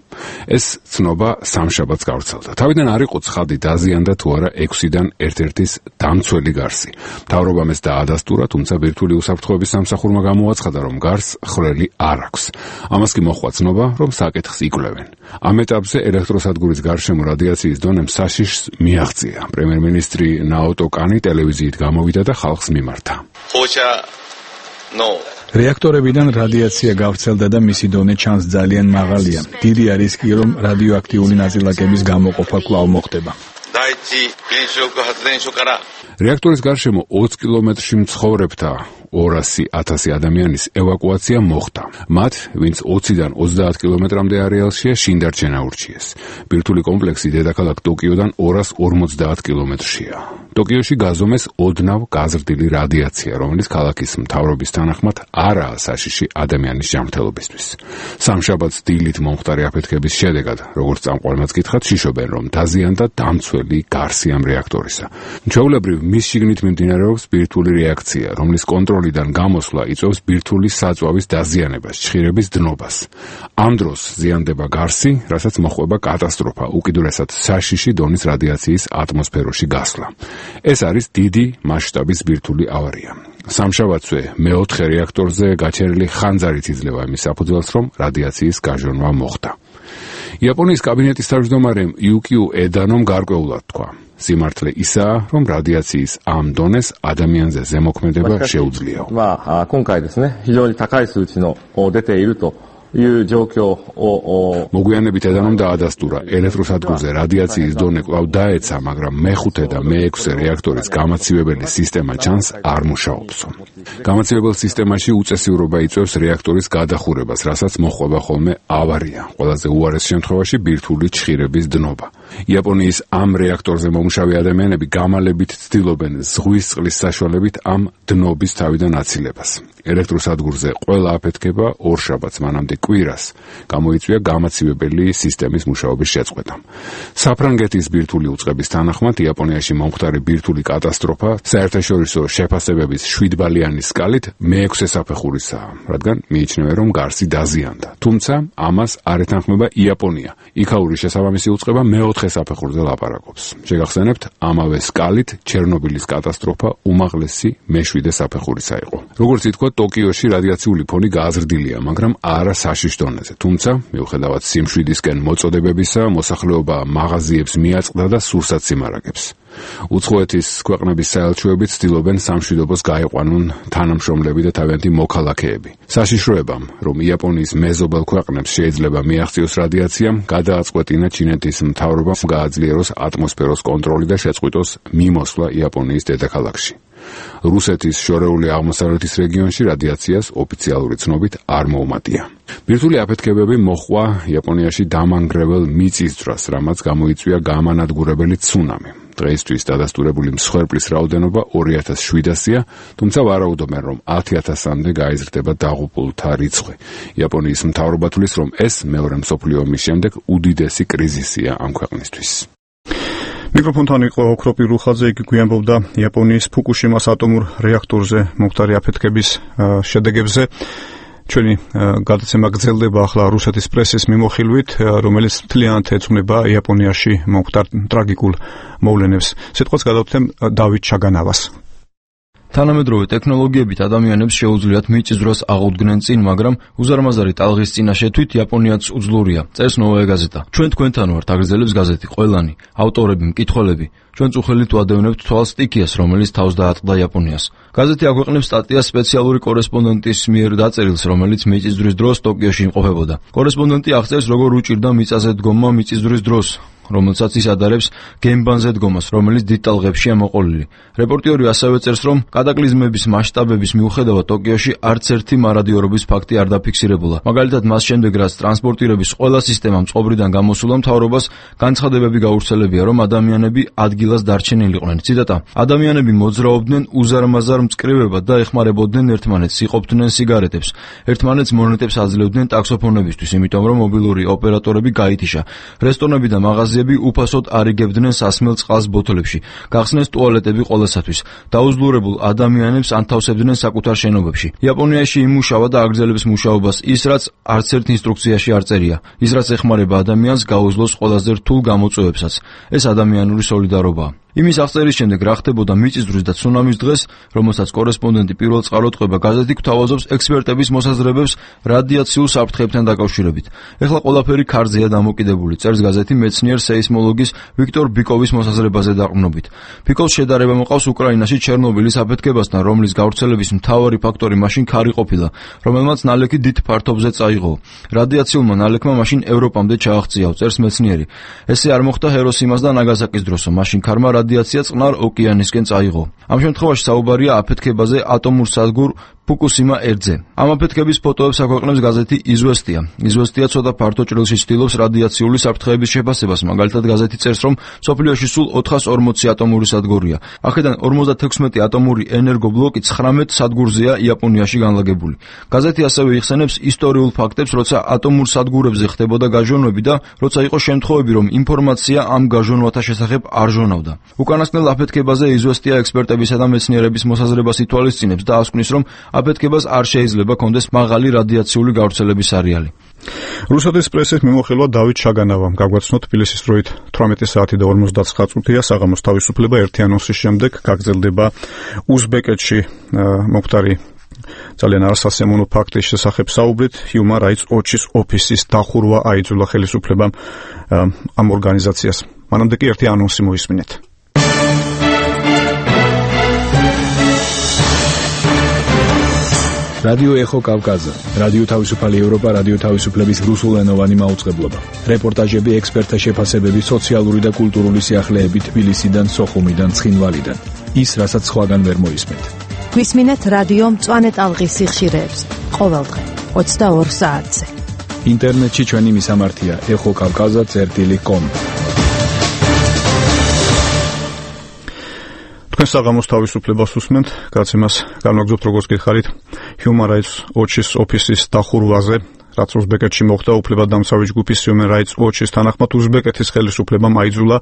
ეს ცნობა სამშაბათს გავრცელდა. თავიდან არ იყო ცხადი დაზიანდა თუ არა ექვსიდან ერთ-ერთის დამცველი გარსი. მთავრობამ ეს დაადასტურა, თუმცა ბირთვული უსაფრთხოების სამსახურმა გამოაცხადა, რომ გარს ხვრელი არ აქვს. ამას კი მოჰყვა ცნობა, რომ საკითხს იკვლევენ. ამ ეტაპზე ელექტროსადგურის გარშემო რადიაციის დონემ საშიშს მიაღწია. პრემიერ-მინისტრი ნაოტო კანი ტელევიზიით გამოვიდა და ხალხს მიმართა. რეაქტორებიდან რადიაცია გავრცელდა და მისი დონე ჩანს ძალიან მაღალია. დიდი არის კი, რომ რადიოაქტიული ნაწილაკების გამოყოფა კვლავ მოხდება. რეაქტორის გარშემო ოც კილომეტრში მცხოვრებთა ორასი ათასი ადამიანის ევაკუაცია მოხდა. მათ, ვინც ოციდან ოცდაათ კილომეტრამდე არეალშია, შინდარჩენა ურჩიეს. ბირთვული კომპლექსი დედაქალაქ ტოკიოდან ორას ორმოცდაათ კილომეტრშია. ტოკიოში გაზომეს ოდნავ გაზრდილი რადიაცია, რომელიც ქალაქის მთავრობის თანახმად არაა საშიში ადამიანის ჯანმრთელობისთვის. სამშაბათს დილით მომხდარი აფეთქების შედეგად, როგორც წამყვანმაც გითხრათ, შიშობენ, რომ დაზიანდა დამცველი გარსი ამ რეაქტორისა. ჩვეულებრივ მის შიგნით მიმდინარეობს ბირთვული რეაქცია, რომლის კონტროლიდან გამოსვლა იწვევს ბირთვული საწვავის დაზიანებას, ჭხირების დნობას. ამ დროს ზიანდება გარსი, რასაც მოჰყვება კატასტროფა, უკიდურესად საშიში დონის რადიაციის ატმოსფეროში გასვლა. ეს არის დიდი მასშტაბის ბირთვული ავარია. სამშაბათსვე მეოთხე რეაქტორზე გაჩერილი ხანძარით იძლევა იმის საფუძველს, რომ რადიაციის გაჟონვა მოხდა. იაპონიის კაბინეტის თავმჯდომარემ იუკიუ ედანომ გარკვეულად თქვა: სიმართლე ისაა, რომ რადიაციის ამ დონეს ადამიანზე ზემოქმედება შეუძლიაო. まあ今回ですね、非常に高い数値の出ていると მოგვიანებით ედანომ დაადასტურა, ელექტროსადგურზე რადიაციის დონე კვლავ დაეცა, მაგრამ მეხუთე და მეექვსე რეაქტორის გამაცივებელი სისტემა ჩანს არ მუშაობსო. გამაცივებელ სისტემაში უწესივრობა იწვევს რეაქტორის გადახურებას, რასაც მოჰყვება ხოლმე ავარია, ყველაზე უარეს შემთხვევაში ბირთვული ჭხირების დნობა. იაპონიის ამ რეაქტორზე მომუშავე ადამიანები გამალებით ცდილობენ ზღვის წყლის საშუალებით ამ დნობის თავიდან აცილებას. ელექტროსადგურზე ყველა აფეთქება ორშაბათს მანამდე კვირას გამოიწვია გამაცივებელი სისტემის მუშაობის შეწყვეტა. საფრანგეთის ბირთვული უწყების თანახმად იაპონიაში მომხდარი ბირთვული კატასტროფა საერთაშორისო შეფასებების შვიდბალიანი სკალით მეექვსე საფეხურისაა, რადგან მიიჩნევენ, რომ გარსი დაზიანდა. თუმცა ამას არ ეთანხმება იაპონია. იქაური შესაბამისი უწყება მეოთხე საფეხურზე ლაპარაკობს. შეგახსენებთ, ამავე სკალით ჩერნობილის კატასტროფა უმაღლესი მეშვიდე საფეხურისა იყო. როგორც ითქვა, ტოკიოში რადიაციული ფონი გააზრდილია, მაგრამ არა საშიშ დონეზე. თუმცა, მიუხედავად სიმშვიდისკენ მოწოდებებისა, მოსახლეობა მაღაზიებს მიაწყდა და სურსაც იმარაგებს. უცხოეთის ქვეყნების საელჩოებით ცდილობენ სამშვიდობოს გაეყვანონ თანამშრომლები და თავიანთი მოქალაქეები. საშიშროებამ, რომ იაპონიის მეზობელ ქვეყნებს შეიძლება მიაღწიოს რადიაცია, გადააწყვეტინა ჩინეთის მთავრობამ გააძლიეროს ატმოსფეროს კონტროლი და შეწყვიტოს მიმოსვლა იაპონიის დედაქალაქში. რუსეთის შორეული აღმოსავლეთის რეგიონში რადიაციას ოფიციალური ცნობით არ მოუმატია. ბირთვული აფეთქებები მოჰყვა იაპონიაში დამანგრეվել მიწისძვრას, რამაც გამოიწვია გამანადგურებელი ცუნამი. დღეისთვის დადასტურებული მსხვერპლის რაოდენობა ორი ათას შვიდასია, თუმცა ვარაუდობენ, რომ ათი ათასამდე გაიზრდება დაღუპულთა რიცხვი. იაპონიის მთავრობა თვლის, რომ ეს მეორე მსოფლიო ომის შემდეგ უდიდესი კრიზისია ამ ქვეყნისთვის. მიკროფონთან იყო ოქროპი რუხაძე, იგი გვიანბობდა იაპონიის ფუკუშიმას ატომურ რეაქტორზე მომხდარი აფეთქების შედეგებზე. ჩვენი გადაცემა გრძელდება ახლა რუსეთის პრესის მიმოხილვით, რომელიც მთლიანად ეძღვნება იაპონიაში მომხდარ ტრაგიკულ მოვლენებს. სიტყვას გადავთემ დავით ჩაგანავას. თანამედროვე ტექნოლოგიებით ადამიანებს შეუძლიათ მიწისძვრას აღუდგნენ წინ, მაგრამ უზარმაზარი ტალღის წინაშე თვით იაპონიაც უძლურია. წერს ნოვაია გაზეტა. ჩვენ თქვენთან ვართ, აგრძელებს გაზეთი ყველანი, ავტორები, მკითხველები. ჩვენ წუხელით ვადევნებთ თვალს სტიქიას, რომელიც თავს დაატყდა იაპონიას. გაზეთი აქვეყნებს სტატიას სპეციალური კორესპონდენტის მიერ დაწერილს, რომელიც მიწისძვრის დროს ტოკიოში იმყოფებოდა. კორესპონდენტი აღწერს, როგორ უჭირდა მიწაზე დგომა მიწისძვრის დროს, რომელსაც ის ადარებს გემბანზე დგომას, რომელიც დიდ ტალღებშია მოყოლილი. რეპორტიორი ასევე წერს, რომ კატაკლიზმების მასშტაბების მიუხედავად ტოკიოში არც ერთი მარადიორობის ფაქტი არ დაფიქსირებულა. მაგალითად, მას შემდეგ, რაც ტრანსპორტირების ყველა სისტემა მწყობრიდან გამოსულა, მთავრობას განცხადებები გაავრცელებია, რომ ადამიანები ადგილას დარჩენილიყვნენ. ციტატა: ადამიანები მოძრაობდნენ უზარმაზარ მწკრივებად და ეხმარებოდნენ ერთმანეთს, იყოფდნენ სიგარეტებს. ერთმანეთს მონეტებს აძლევდნენ ტაქსოფონებისთვის, იმიტომ რომ მობილური ოპერატორები გაითიშა. რესტორნები და მაღაზიები უფასოდ არიგებდნენ სასმელ წყალს ბოთლებში. გახსნეს ტუალეტები ყველასათვის. დაუძლურებულ ადამიანებს ანთავსებდნენ საკუთარ შენობებში. იაპონიაში იმუშავა და აგრძელებს მუშაობას ის, რაც არც ერთ ინსტრუქციაში არ წერია. ის, რაც ეხმარება ადამიანს გაუძლოს ყველაზე რთულ გამოწვევებსაც. ეს ადამიანური სოლიდარობაა. იმის აღწერის შემდეგ რა ხდებოდა მიწისძვრის და ცუნამის დღეს, რომელსაც კორესპონდენტი პირველ წყაროდ ყვება, გაზეთი გვთავაზობს ექსპერტების მოსაზრებებს რადიაციულ საფრთხეებთან დაკავშირებით. ეხლა ყველაფერი ქარზეა დამოკიდებული, წერს გაზეთი მეცნიერ სეისმოლოგის ვიქტორ ბიკოვის მოსაზრებაზე დაყრდნობით. ბიკოვს შედარება მოყავს უკრაინაში ჩერნობილის აფეთქებასთან, რომლის გავრცელების მთავარი ფაქტორი მაშინ ქარი ყოფილა, რომელმაც ნალექი დიდ ფართობზე წაიღო. რადიაციულმა ნალექმა მაშინ ევროპამდე ჩააღწიაო, წერს მეცნიერი. ესე არ მოხდა ჰიროსიმას და ნაგასაკის დროსო, მაშინ ქარმა რადიაცია წყნარ ოკეანისკენ წაიღო. ამ შემთხვევაში საუბარია აფეთქებაზე ატომურ სადგურ ფუკუსიმა ერთზე. ამ აფეთქების ფოტოებს აქვეყნებს გაზეთი იზვესტია. იზვესტია ცოტა ფართო ჭრილში ცდილობს რადიაციული საფრთხეების შეფასებას, მაგალითად გაზეთი წერს, რომ სოფლიოში სულ ოთხას ორმოცი ატომური სადგურია. აქედან ორმოცდათექვსმეტი ატომური ენერგობლოკი ცხრამეტ სადგურზეა იაპონიაში განლაგებული. გაზეთი ასევე იხსენებს ისტორიულ ფაქტებს, როცა ატომურ სადგურებზე ხდებოდა გაჟონვები და როცა იყო შემთხვევები, რომ ინფორმაცია ამ გაჟონვათა შესახებ არ ჟონავდა. უკანასკნელ აფეთქებაზე იზვესტია ექსპერტებისა და მეცნიერების მოსაზრებას ითვალისწინებს და ასკვნის, რომ აფეთქებას არ შეიძლება კონდეს მაღალი რადიაციული გავრცელების არეალი. რუსეთის პრესის მიმოხილვა დავით ჩაგანავამ გაგვაცნო თბილისის დროით თვრამეტი საათი და ორმოცდაცხრა წუთია საღამოს თავისუფლება ერთი ანონსის შემდეგ გაგრძელდება უზბეკეთში მომხდარი ძალიან არასასიამოვნო ფაქტის შესახებ საუბრით Human Rights Watch-ის ოფისის დახურვა აიძულა ხელისუფლებამ ამ ორგანიზაციას. მანამდე კი ერთი ანონსი მოისმინეთ. რადიო ეხო კავკაზა, რადიო თავისუფალი ევროპა, რადიო თავისუფლების რუსულენოვანი მაუწყებლობა. რეპორტაჟები, ექსპერტთა შეფასებები, სოციალური და კულტურული სიახლეები თბილისიდან, სოხუმიდან, ცხინვალიდან. ის, რასაც სხვაგან ვერ მოისმენთ. გვისმინეთ რადიო მწვანე ტალღის სიხშირეებს ყოველდღე ოცდაორ საათზე. ინტერნეტში ჩვენი მისამართია ეხო კავკაზა წერტილი კომ. თქვენ საღამოს თავისუფლებას უსმენთ, გაცემას განვაგრძობთ როგორც გითხარით Human Rights Watch-ის ოფისის დახურვაზე, რაც უზბეკეთში მოხდა. უფლებადამცავი ჯგუფის Human Rights Watch-ის თანახმად უზბეკეთის ხელისუფლებამ აიძულა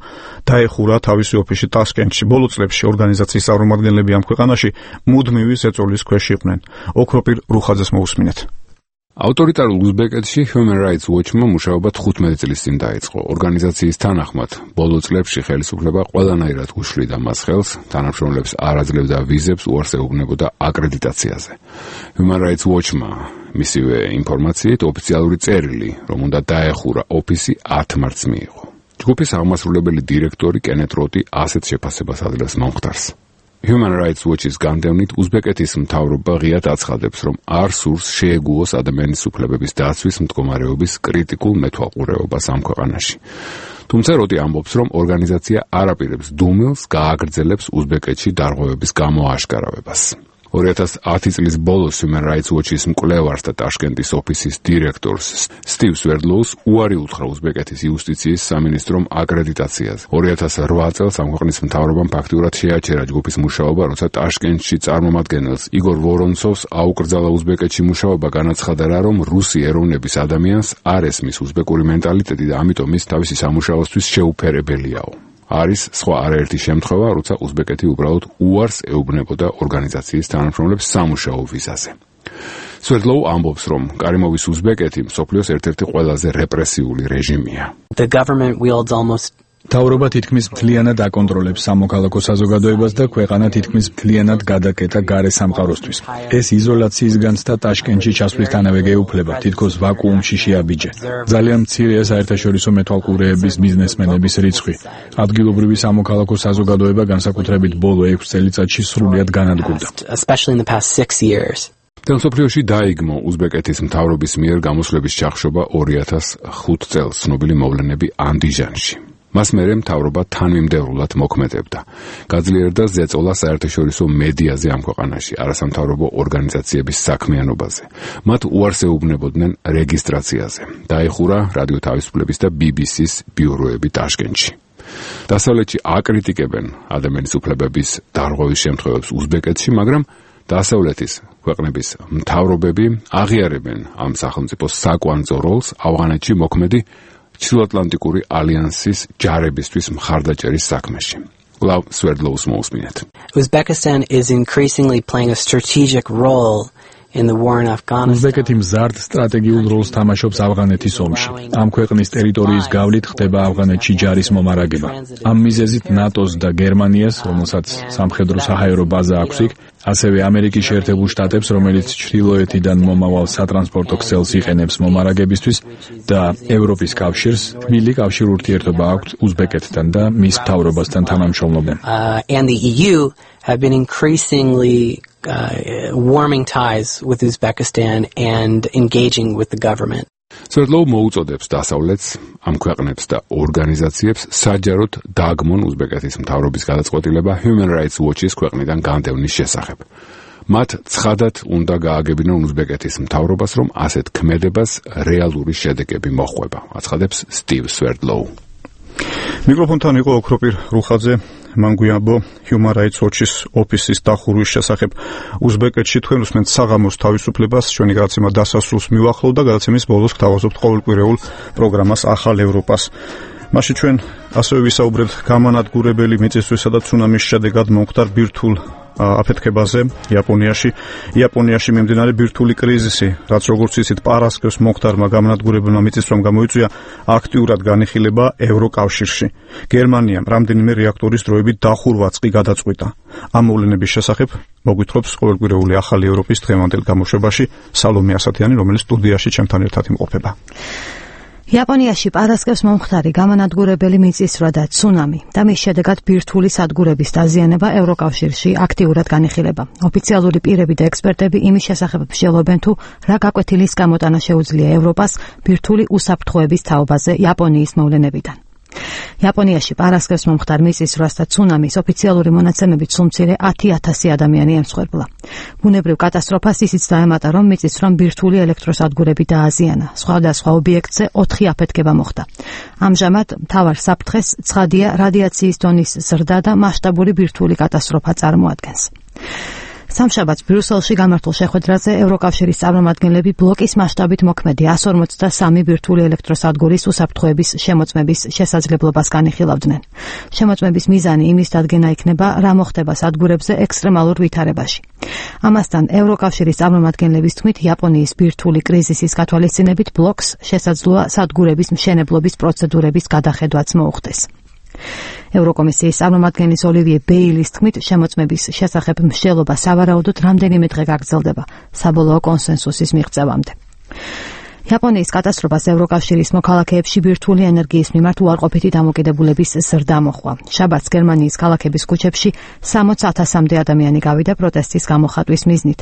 დაეხურა თავისი ოფისი ტაშკენტში. ბოლო წლებში ორგანიზაციის წარმომადგენლები ამ ქვეყანაში მუდმივი ზეწოლის ქვეშ იყვნენ. ოქროპირ რუხაძეს მოусმინეთ. ავტორიტარულ უზბეკეთში Human Rights Watch-მა მუშაობა თხუთმეტი წლის წინ დაიწყო. ორგანიზაციის თანახმად, ბოლო წლებში ხელისუფლება ყველანაირად უშლიდა მას ხელს, თანამშრომლებს არ აძლევდა ვიზებს, უარს ეუბნებოდა აკრედიტაციაზე. Human Rights Watch-მა მისივე ინფორმაციით ოფიციალური წერილი, რომ უნდა დაეხურა ოფისი ათ მარტს მიიღო. ჯგუფის აღმასრულებელი დირექტორი კენეთ როტი ასეთ შეფასებას აძლევს მომხდარს. Human Rights Watch-ის განდევნით უზბეკეთის მთავრობა ღიად აცხადებს, რომ არ სურს შეეგუოს ადამიანის უფლებების დაცვის მდგომარეობის კრიტიკულ მეთვალყურეობას ამ ქვეყანაში. თუმცა როტი ამბობს, რომ ორგანიზაცია არ აპირებს დუმილს გააგრძელებს უზბეკეთში დარღვევების გამოაშკარავებას. ორი ათას ათი წლის ბოლოს Human Rights Watch-ის მკვლევარს და ტაშკენტის ოფისის დირექტორს სტივ სვერდლოუს უარი უთხრა უზბეკეთის იუსტიციის სამინისტრომ აკრედიტაციაზე. ორი ათას რვა წელს ამ ქვეყნის მთავრობამ ფაქტიურად შეაჩერა ჯგუფის მუშაობა, როცა ტაშკენტში წარმომადგენელს იგორ ვორონცოვს აუკრძალა უზბეკეთში მუშაობა, განაცხადა რა, რომ რუსი ეროვნების ადამიანს არ ესმის უზბეკური მენტალიტეტი და ამიტომ ის თავისი სამუშაოსთვის შეუფერებელიაო. არის სხვა არაერთი შემთხვევა, როცა უზბეკეთი უბრალოდ უარს ეუბნებოდა ორგანიზაციის თანამშრომლებს სამუშაო ვიზაზე. სვერდლოუ ამბობს, რომ კარიმოვის უზბეკეთი მსოფლიოს ერთ-ერთი ყველაზე რეპრესიული რეჟიმია. The government wields almost მთავრობა თითქმის მთლიანად აკონტროლებს სამოქალაქო საზოგადოებას და ქვეყანა თითქმის მთლიანად გადაკეტა გარე სამყაროსთვის. ეს იზოლაციისგანც და ტაშკენტში ჩასვლისთანავე გეუფლება, თითქოს ვაკუუმში შეაბიჯე. ძალიან მცირეა საერთაშორისო მეთვალყურეების ბიზნესმენების რიცხვი. ადგილობრივი სამოქალაქო საზოგადოება განსაკუთრებით ბოლო ექვს წელიწადში სრულიად განადგურდა. especially in the past six years. მსოფლიოში დაიგმო უზბეკეთის მთავრობის მიერ გამოსვლების ჩახშობა ორი ათას ხუთ წელს ცნობილი მოვლენები ანდიჟანში. მას მერე მთავრობა თანმიმდევრულად მოქმედებდა. გაძლიერდა ზეწოლა საერთაშორისო მედიაზე ამ ქვეყანაში, არასამთავრობო ორგანიზაციების საქმიანობაზე. მათ უარს ეუბნებოდნენ რეგისტრაციაზე. დაეხურა რადიო თავისუფლების და ბი ბი სის ბიუროები ტაშკენტში. დასავლეთში აკრიტიკებენ ადამიანის უფლებების დარღვევის შემთხვევებს უზბეკეთში, მაგრამ დასავლეთის ქვეყნების მთავრობები აღიარებენ ამ სახელმწიფოს საკვანძო როლს ავღანეთში მოქმედი ჩრდილოატლანტიკური ალიანსის ჯარებისთვის მხარდაჭერის საქმეში. კვლავ სვერდლოუს მოусმინეთ. Uzbekistan is increasingly playing a strategic role in the war in Afghanistan. უზბეკეთი მზარდ სტრატეგიულ როლს თამაშობს ავღანეთის ომში. ამ ქვეყნის ტერიტორიის გავლით ხდება ავღანეთში ჯარის მომარაგება. ამ მიზეზით ნატოს და გერმანიას, რომელსაც სამხედრო საჰაერო ბაზა აქვს იქ, ასევე ამერიკის შეერთებულ შტატებს, რომელიც ჩრდილოეთიდან მომავალ სატრანსპორტო ქსელს იყენებს მომარაგებისთვის და ევროპის კავშირს, თბილი კავშირ ურთიერთობა აქვს უზბეკეთთან და მის მთავრობასთან თანამშრომლობენ. Uh, and the E U have been increasingly uh, warming ties with Uzbekistan and engaging with the government. სვერდლოუ მოუწოდებს დასავლეთს, ამ ქვეყნებს და ორგანიზაციებს საჯაროდ დააგმონ უზბეკეთის მთავრობის გადაწყვეტილება Human Rights Watch-ის ქვეყნიდან განდევნის შესახებ. მათ ცხადად უნდა გააგებინონ უზბეკეთის მთავრობას, რომ ასეთ ქმედებას რეალური შედეგები მოჰყვება, აცხადებს სტივ სვერდლოუ. მიკროფონთან იყო ოქროპირ რუხაძე. მან გვიამბო Human Rights Watch-ის ოფისის დახურვის შესახებ. უზბეკეთში თქვენ უსმენთ საღამოს თავისუფლებას, ჩვენი გადაცემა დასასრულს მივახლოვ და გადაცემის ბოლოს გთავაზობთ ყოველკვირეულ პროგრამას ახალ ევროპას. მაშინ ჩვენ ასევე ვისაუბრებთ გამანადგურებელი მიწისძვრისა და ცუნამის შედეგად მომხდარ ბირთვულ აფეთქებაზე იაპონიაში. იაპონიაში მიმდინარე ბირთვული კრიზისი, რაც როგორც იცით, პარასკევს მომხდარმა გამანადგურებელმა მიწისძვრამ გამოიწვია აქტიურად განიხილება ევროკავშირში. გერმანიამ რამდენიმე რეაქტორის დროებით დახურვაც კი გადაწყვიტა. ამ მოვლენების შესახებ მოგვითხრობს ყოველკვირეული ახალი ევროპის დღევანდელ გამოშვებაში სალომე ასათიანი, რომელიც სტუდიაში ჩემთან ერთად იმყოფება. იაპონიაში პარასკევს მომხდარი გამანადგურებელი მიწისძვრა და ცუნამი და მის შედეგად ბირთვული სადგურების დაზიანება ევროკავშირში აქტიურად განიხილება. ოფიციალური პირები და ექსპერტები იმის შესახებ მსჯელობენ, თუ რა გაკვეთილის გამოტანა შეუძლია ევროპას ბირთვული უსაფრთხოების თაობაზე იაპონიის მოვლენებიდან. იაპონიაში პარასკევს მომხდარ მიწისძვრას და ცუნამის ოფიციალური მონაცემებით სულ მცირე ათი ათასი ადამიანი ემსხვერპლა. ბუნებრივ კატასტროფას ისიც დაემატა, რომ მიწისძვრამ ბირთვული ელექტროსადგურები დააზიანა. სხვადასხვა ობიექტზე ოთხი აფეთქება მოხდა. ამჟამად მთავარ საფრთხეს ცხადია რადიაციის დონის ზრდა და მასშტაბური ბირთვული კატასტროფა წარმოადგენს. სამშაბათს ბრიუსელში გამართულ შეხვედრაზე ევროკავშირის წარმომადგენლები ბლოკის მასშტაბით მოქმედი εκατს ორმოცდასამი ბირთვული ელექტროსადგურის უსაფრთხოების შემოწმების შესაძლებლობას განიხილავდნენ. შემოწმების მიზანი იმის დადგენა იქნება, რა მოხდება სადგურებზე ექსტრემალურ ვითარებაში. ამასთან ევროკავშირის წარმომადგენლების თქმით, იაპონიის ბირთვული კრიზისის გათვალისწინებით ბლოკს შესაძლოა სადგურების მშენებლობის პროცედურების გადახედვაც მოუხდეს. ევროკომისიის წარმომადგენლის ოლივიე ბეილის თქმით, შემოწმების შესახებ მსჯელობა სავარაუდოდ რამდენიმე დღე გაგრძელდება საბოლოო კონსენსუსის მიღწევამდე. იაპონიის კატასტროფას ევროკავშირის მოქალაქეებში ბირთვული ენერგიის მიმართ უარყოფითი დამოკიდებულების ზრდა მოჰყვა. შაბათს გერმანიის ქალაქების ქუჩებში სამოც ათასამდე ადამიანი გავიდა პროტესტის გამოხატვის მიზნით.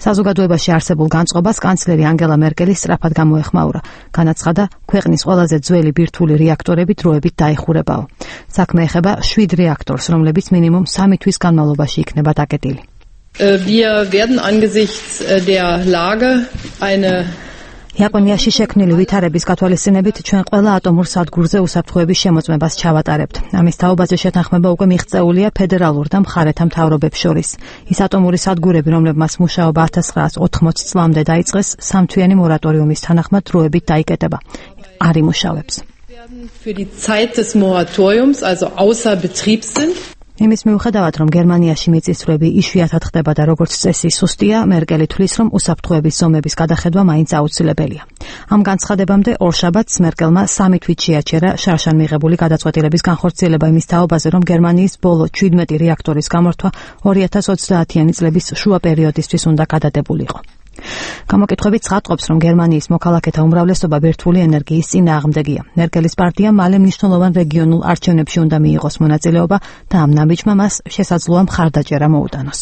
საზოგადოებაში არსებულ განწყობას კანცლერი ანგელა მერკელი სწრაფად გამოეხმაურა. განაცხადა, ქვეყნის ყველაზე ძველი ბირთვული რეაქტორები დროებით დაიხურებაო. საქმე ეხება შვიდ რეაქტორს, რომლებიც მინიმუმ სამი თვის განმავლობაში იქნება დაკეტილი. Wir werden angesichts der Lage eine იაპონიაში შექმნილი ვითარების გათვალისწინებით ჩვენ ყველა ატომურ სადგურზე უსაფრთხოების შემოწმებას ჩავატარებთ. ამის თაობაზე შეთანხმება უკვე მიღწეულია ფედერალურ და მხარეთა მთავრობებს შორის. ის ატომური სადგურები, რომლებმაც მუშაობა ათას ცხრაას ოთხმოცი წლამდე დაიწყეს, სამთვიანი მორატორიუმის თანახმად დროებით დაიკეტება. არ იმუშავებს. Für die Zeit des Moratoriums, also außer Betrieb sind. იმის მიუხედავად, რომ გერმანიაში მიწისძვრები იშვიათად ხდება და როგორც წესი სუსტია, მერკელი თვლის, რომ უსაფრთხოების ზომების გადახედვა მაინც აუცილებელია. ამ განცხადებამდე ორშაბათს მერკელმა სამი თვით შეაჩერა შარშან მიღებული გადაწყვეტილების განხორციელება იმის თაობაზე, რომ გერმანიის ბოლო ჩვიდმეტი რეაქტორის გამართვა ორი ათას ოცდაათიანი წლების შუა პერიოდისთვის უნდა გადადებულიყო. გამოკითხვები ცხადყოფს, რომ გერმანიის მოქალაქეთა უმრავლესობა ბირთვული ენერგიის წინააღმდეგია. მერკელის პარტია მალე მნიშვნელოვან რეგიონულ არჩევნებში უნდა მიიღოს მონაწილეობა და ამ ნაბიჯმა მას შესაძლოა მხარდაჭერა მოუტანოს.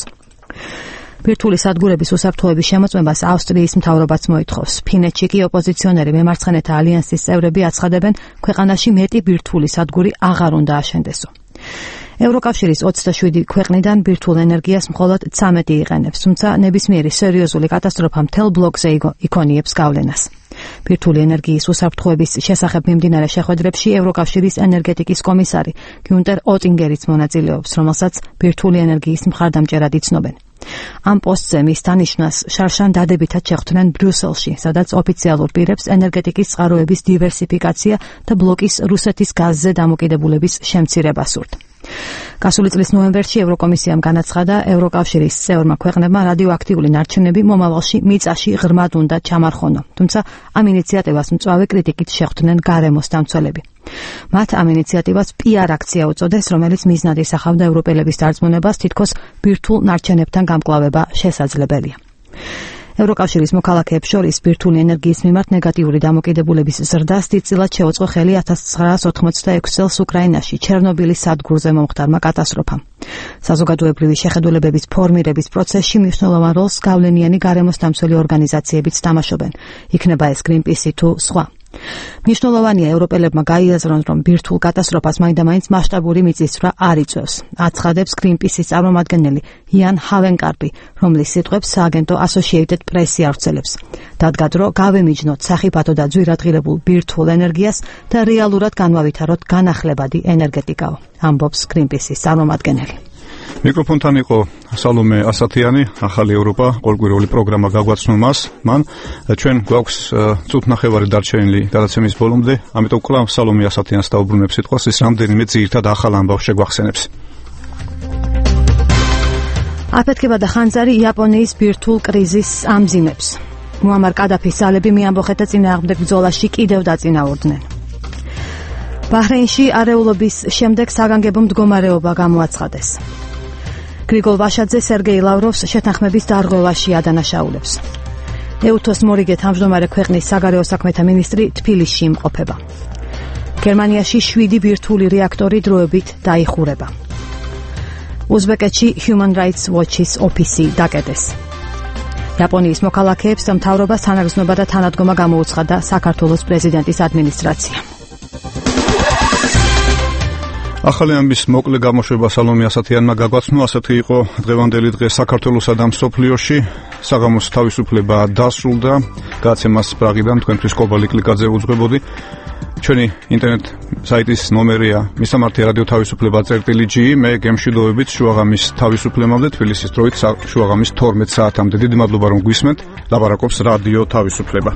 ბირთვული სადგურების უსაფრთხოების შემოწმებას ავსტრიის მთავრობაც მოითხოვს. ფინეთში კი ოპოზიციონერი მემარცხენეთა ალიანსის წევრები აცხადებენ, ქვეყანაში მეტი ბირთვული სადგური აღარ უნდა აშენდესო. ევროკავშირის ოცდაშვიდი ქვეყნიდან ბირთვულ ენერგიას მხოლოდ ცამეტი იყენებს, თუმცა ნებისმიერი სერიოზული კატასტროფა მთელ ბლოკზე იქონიებს გავლენას. ბირთვული ენერგიის უსაფრთხოების შესახებ მიმდინარე შეხვედრებში ევროკავშირის ენერგეტიკის კომისარი გიუნტერ ოტინგერიც მონაწილეობს, რომელსაც ბირთვული ენერგიის მხარდამჭერად იცნობენ. ამ პოსტზე მის დანიშვნას შარშან დადებითად შეხვდნენ ბრიუსელში, სადაც ოფიციალურ პირებს ენერგეტიკის წყაროების დივერსიფიკაცია და ბლოკის რუსეთის გაზზე დამოკიდებულების შემცირება სურთ. გასული წლის ნოემბერში ევროკომისიამ განაცხადა, ევროკავშირის წევრმა ქვეყნებმა რადიოაქტიული ნარჩენები მომავალში მიწაში ღრმად უნდა ჩამარხონო, თუმცა ამ ინიციატივას მწვავე კრიტიკით შეხვდნენ გარემოს დამცველები. მათ ამ ინიციატივას პი არ აქცია უწოდეს, რომელიც მიზნად ისახავდა ევროპელების დარწმუნებას, თითქოს ბირთვულ ნარჩენებთან გამკლავება შესაძლებელია. ევროკავშირის მოქალაქეებს შორის ბირთვული ენერგიის მიმართ ნეგატიური დამოკიდებულების ზრდას დიდწილად შეუწყო ხელი ათას ცხრაას ოთხმოცდაექვსი წელს უკრაინაში ჩერნობილის სადგურზე მომხდარმა კატასტროფამ. საზოგადოებრივი შეხედულებების ფორმირების პროცესში მნიშვნელოვან როლს გავლენიანი გარემოს დამცველი ორგანიზაციებიც თამაშობენ. იქნება ეს გრინპისი თუ სხვა. მნიშვნელოვანია ევროპელებმა გაიაზრონ, რომ ბირთვულ კატასტროფას მაინდა-მაინც მასშტაბური მიწისძვრა არ იწვევს. აცხადებს Greenpeace-ის წარმომადგენელი იან ჰავენკარპი, რომლის სიტყვებს სააგენტო Associated Press-ი ავრცელებს. დადგა დრო გავემიჯნოთ სახიფათო და ძვირადღირებულ ბირთვულ ენერგიას და რეალურად განვავითაროთ განახლებადი ენერგეტიკაო, ამბობს Greenpeace-ის წარმომადგენელი. მიკროფონთან იყო სალომე ასათიანი, ახალი ევროპა, ყოველკვირეული პროგრამა გაგვაცნო მას. მან ჩვენ გვაქვს წუთნახევარი დარჩენილი გადაცემის ბოლომდე, ამიტომ კლავ სალომე ასათიანს დაუბრუნებ სიტყვას, ის რამდენიმე ძირითად ახალ ამბავს შეგვახსენებს. აფეთქება და ხანძარი იაპონიის ბირთვულ კრიზისს ამძიმებს. მუამარ კადაფის ძალები მეამბოხეთა წინააღმდეგ ბრძოლაში კიდევ დაწინაურდნენ. ბაჰრეინში არეულობის შემდეგ საგანგებო მდგომარეობა გამოაცხადეს. გრიგოლ ვაშაძე სერგეი ლავროვს შეთანხმების დარღვევაში ადანაშაულებს. ეუთოს მორიგე თავმჯდომარე ქვეყნის საგარეო საქმეთა მინისტრი თბილისში იმყოფება. გერმანიაში შვიდი ბირთვული რეაქტორი დროებით დაიხურება. უზბეკეთში Human Rights Watch-ის ოფისი დაკეტეს. იაპონიის მოქალაქეებს მთავრობას თანაგრძნობა და თანადგომა გამოუცხადა საქართველოს პრეზიდენტის ადმინისტრაციამ. ახალი ამბის მოკლე გამოშვება სალომე ასათიანმა გაგვაცნო, ასეთი იყო დღევანდელი დღე საქართველოსა და მსოფლიოში. საღამოს თავისუფლება დასრულდა. გადაცემას პრაღიდან თქვენთვის კობალი კლიკაძე უძღვებოდი. ჩვენი ინტერნეტ საიტის ნომერია მისამართი რადიო თავისუფლება წერტილი ჯი, მე გემშვიდობებით შუაღამის თავისუფლებამდე თბილისის დროით შუაღამის თორმეტ საათამდე. დიდი მადლობა რომ გვისმენთ. ლაპარაკობს რადიო თავისუფლება.